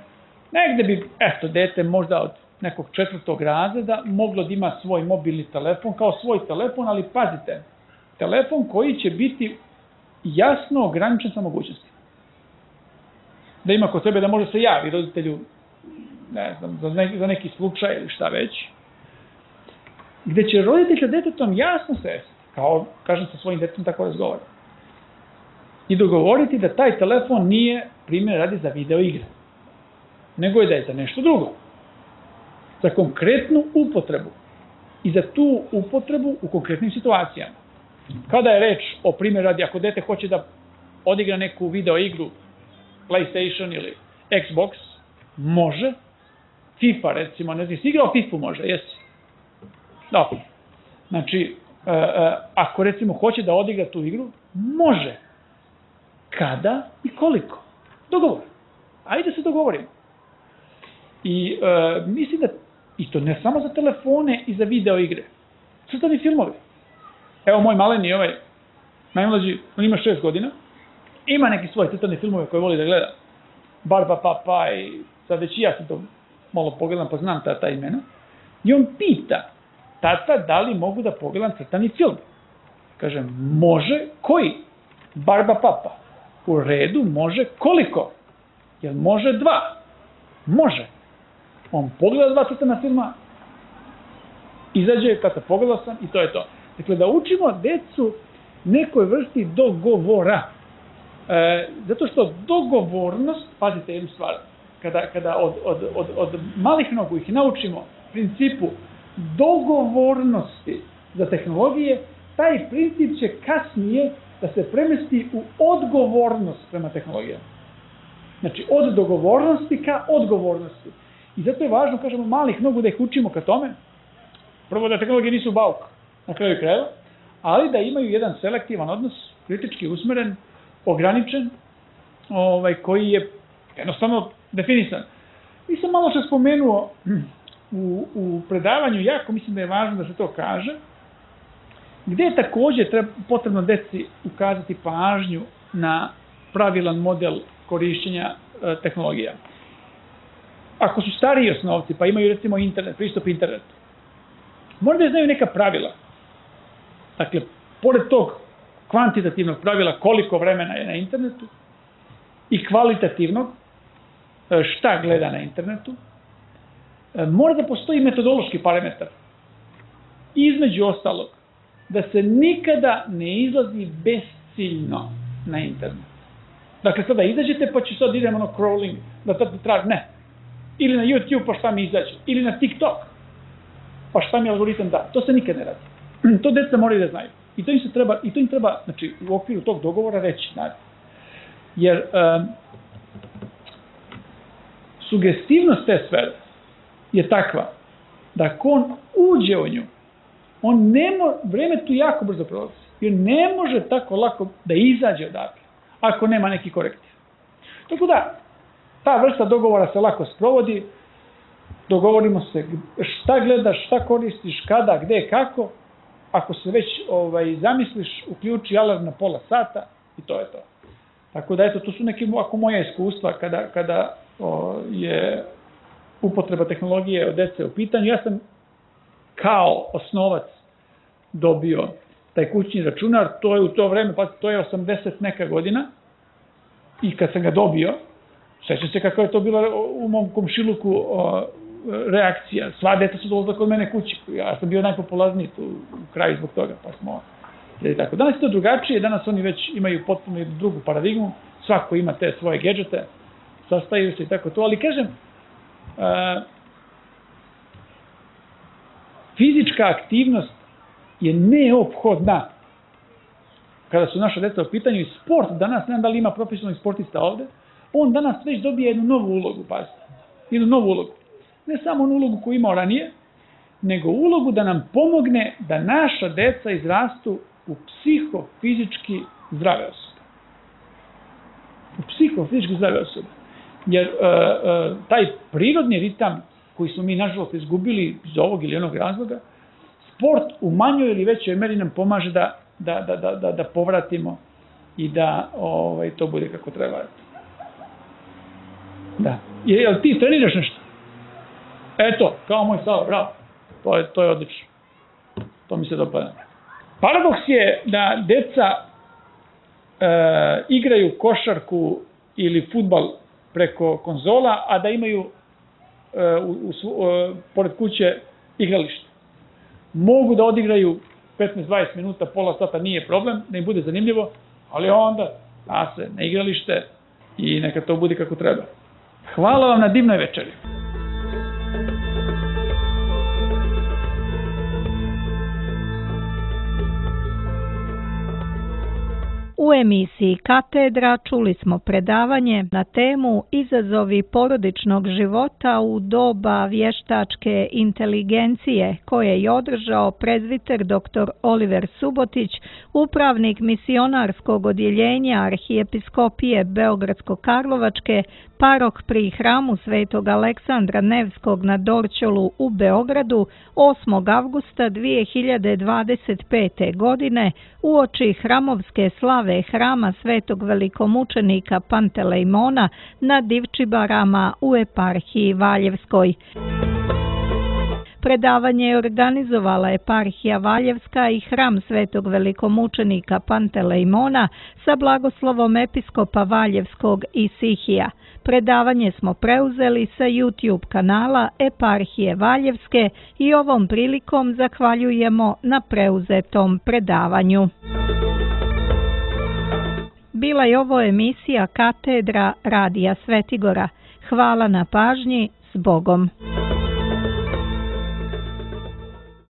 negde bi, dete možda od nekog 4. razreda moglo da ima svoj mobilni telefon kao svoj telefon, ali pazite, telefon koji će biti jasno ograničen sa mogućnostima. Da ima kod sebe da može se javi roditelju, ne znam, za neki slučaj ili šta već, gde će roditelj sa detetom jasno sesti, kao, kažem, sa svojim detetom tako razgovara, i dogovoriti da taj telefon nije, primjer radi, za video igre, nego je da je za nešto drugo. za konkretnu upotrebu i za tu upotrebu u konkretnim situacijama. Kada je reč o primjer radi, ako dete hoće da odigra neku video igru, PlayStation ili Xbox, može. FIFA recimo, ne znam, si igrao FIFA može, jesi? Dobro. Znači, ako recimo hoće da odigra tu igru, može. Kada i koliko? Dogovor. Ajde se dogovorimo. I mislim da, i to ne samo za telefone i za video igre, crtani filmovi. Evo moj maleni, najmlađi, on ima 6 godina, ima neki svoje crtane filmove koje voli da gleda. Barba Papa i sad već i ja sam to malo pogledam pa znam ta imena. I on pita, tata, da li mogu da pogledam crtani film? Kažem, može, koji? Barba Papa. U redu, može, koliko? Jel može 2? Može. On pogleda 2 crtana filma, izađe, tata, pogledao sam i to je to. Dakle, da učimo decu nekoj vrsti dogovora. Zato što dogovornost, pazite jednu stvar, kada od malih nogu ih naučimo principu dogovornosti za tehnologije, taj princip će kasnije da se premesti u odgovornost prema tehnologijama. Znači, od dogovornosti ka odgovornosti. I zato je važno, kažemo, malih nogu da ih učimo ka tome. Prvo da tehnologije nisu bauk na kraju krajeva, ali da imaju jedan selektivan odnos, kritički usmeren, ograničen, koji je jednostavno definisan. Nisam malo što spomenuo u predavanju, jako mislim da je važno da se to kaže, gde je također potrebno deci ukazati pažnju na pravilan model korišćenja tehnologija. Ako su stariji osnovci, pa imaju recimo internet, pristup internetu, možda da znaju neka pravila. Dakle, pored tog kvantitativnog pravila koliko vremena je na internetu i kvalitativnog šta gleda na internetu, mora da postoji metodološki parametar. Između ostalog, da se nikada ne izlazi besciljno na internet. Dakle, sada izađete pa će sad idemo crawling, da traži, ne. Ili na YouTube pa šta mi izađe, ili na TikTok pa šta mi algoritam da. To se nikad ne radi. To deca moraju da znaju. I to im treba, znači, u okviru tog dogovora reći, naravno. Jer sugestivnost te sfere je takva da ako on uđe u nju, vreme tu jako brzo prolazi. Jer ne može tako lako da izađe odatle, ako nema neki korektiv. Tako da, ta vrsta dogovora se lako sprovodi, dogovorimo se šta gledaš, šta koristiš, kada, gde, kako. Ako se već zamisliš, uključi alarm na pola sata i to je to. Tako da, eto, to su neke moja iskustva kada je upotreba tehnologije od dece u pitanju. Ja sam kao osnovac dobio taj kućni računar, to je u to vreme, pa to je 80 neka godina, i kad sam ga dobio, sećam se kako je to bilo u mom komšiluku reakcija. Sva deca su dolazila kod mene kući. Ja sam bio najpopularniji tu u kraju zbog toga, pa smo... Tako. Danas je to drugačije, danas oni već imaju potpuno drugu paradigmu, svako ima te svoje gadžete, sastaju se i tako to, ali kažem, fizička aktivnost je neophodna kada su naša deca u pitanju, i sport danas, ne znam da li ima profesionalnih sportista ovde, on danas već dobije jednu novu ulogu, pazite, jednu novu ulogu. Ne samo onu ulogu koju imao ranije, nego ulogu da nam pomogne da naša deca izrastu u psihofizički zdrave osobe. U psihofizički zdrave osobe. Jer taj prirodni ritam koji smo mi nažalost izgubili iz ovog ili onog razloga, sport u manjoj ili većoj meri nam pomaže da povratimo i da to bude kako treba. Da. Jel ti treniraš nešto? Eto, kao moj Sava, bravo. To je odlično. To mi se dopada. Paradoks je da deca igraju košarku ili fudbal preko konzola, a da imaju pored kuće igralište. Mogu da odigraju 15-20 minuta, pola sata, nije problem, da im bude zanimljivo, ali onda se na igralište i neka to bude kako treba. Hvala vam na divnoj večeri. U emisiji Katedra čuli smo predavanje na temu Izazovi porodičnog života u doba vještačke inteligencije koje je održao prezbiter dr. Oliver Subotić, upravnik misionarskog odjeljenja Arhijepiskopije Beogradsko-Karlovačke, parok pri hramu Svetog Aleksandra Nevskog na Dorćolu u Beogradu 8. avgusta 2025. godine uoči hramovske slave hrama Svetog velikomučenika Pantelejmona na Divčibarama u eparhiji Valjevskoj. Predavanje je organizovala eparhija Valjevska i hram Svetog velikomučenika Pantelejmona sa blagoslovom episkopa Valjevskog i Sihija. Predavanje smo preuzeli sa YouTube kanala eparhije Valjevske i ovom prilikom zahvaljujemo na preuzetom predavanju. Bila je ovo emisija Katedra Radija Svetigora. Hvala na pažnji, s Bogom.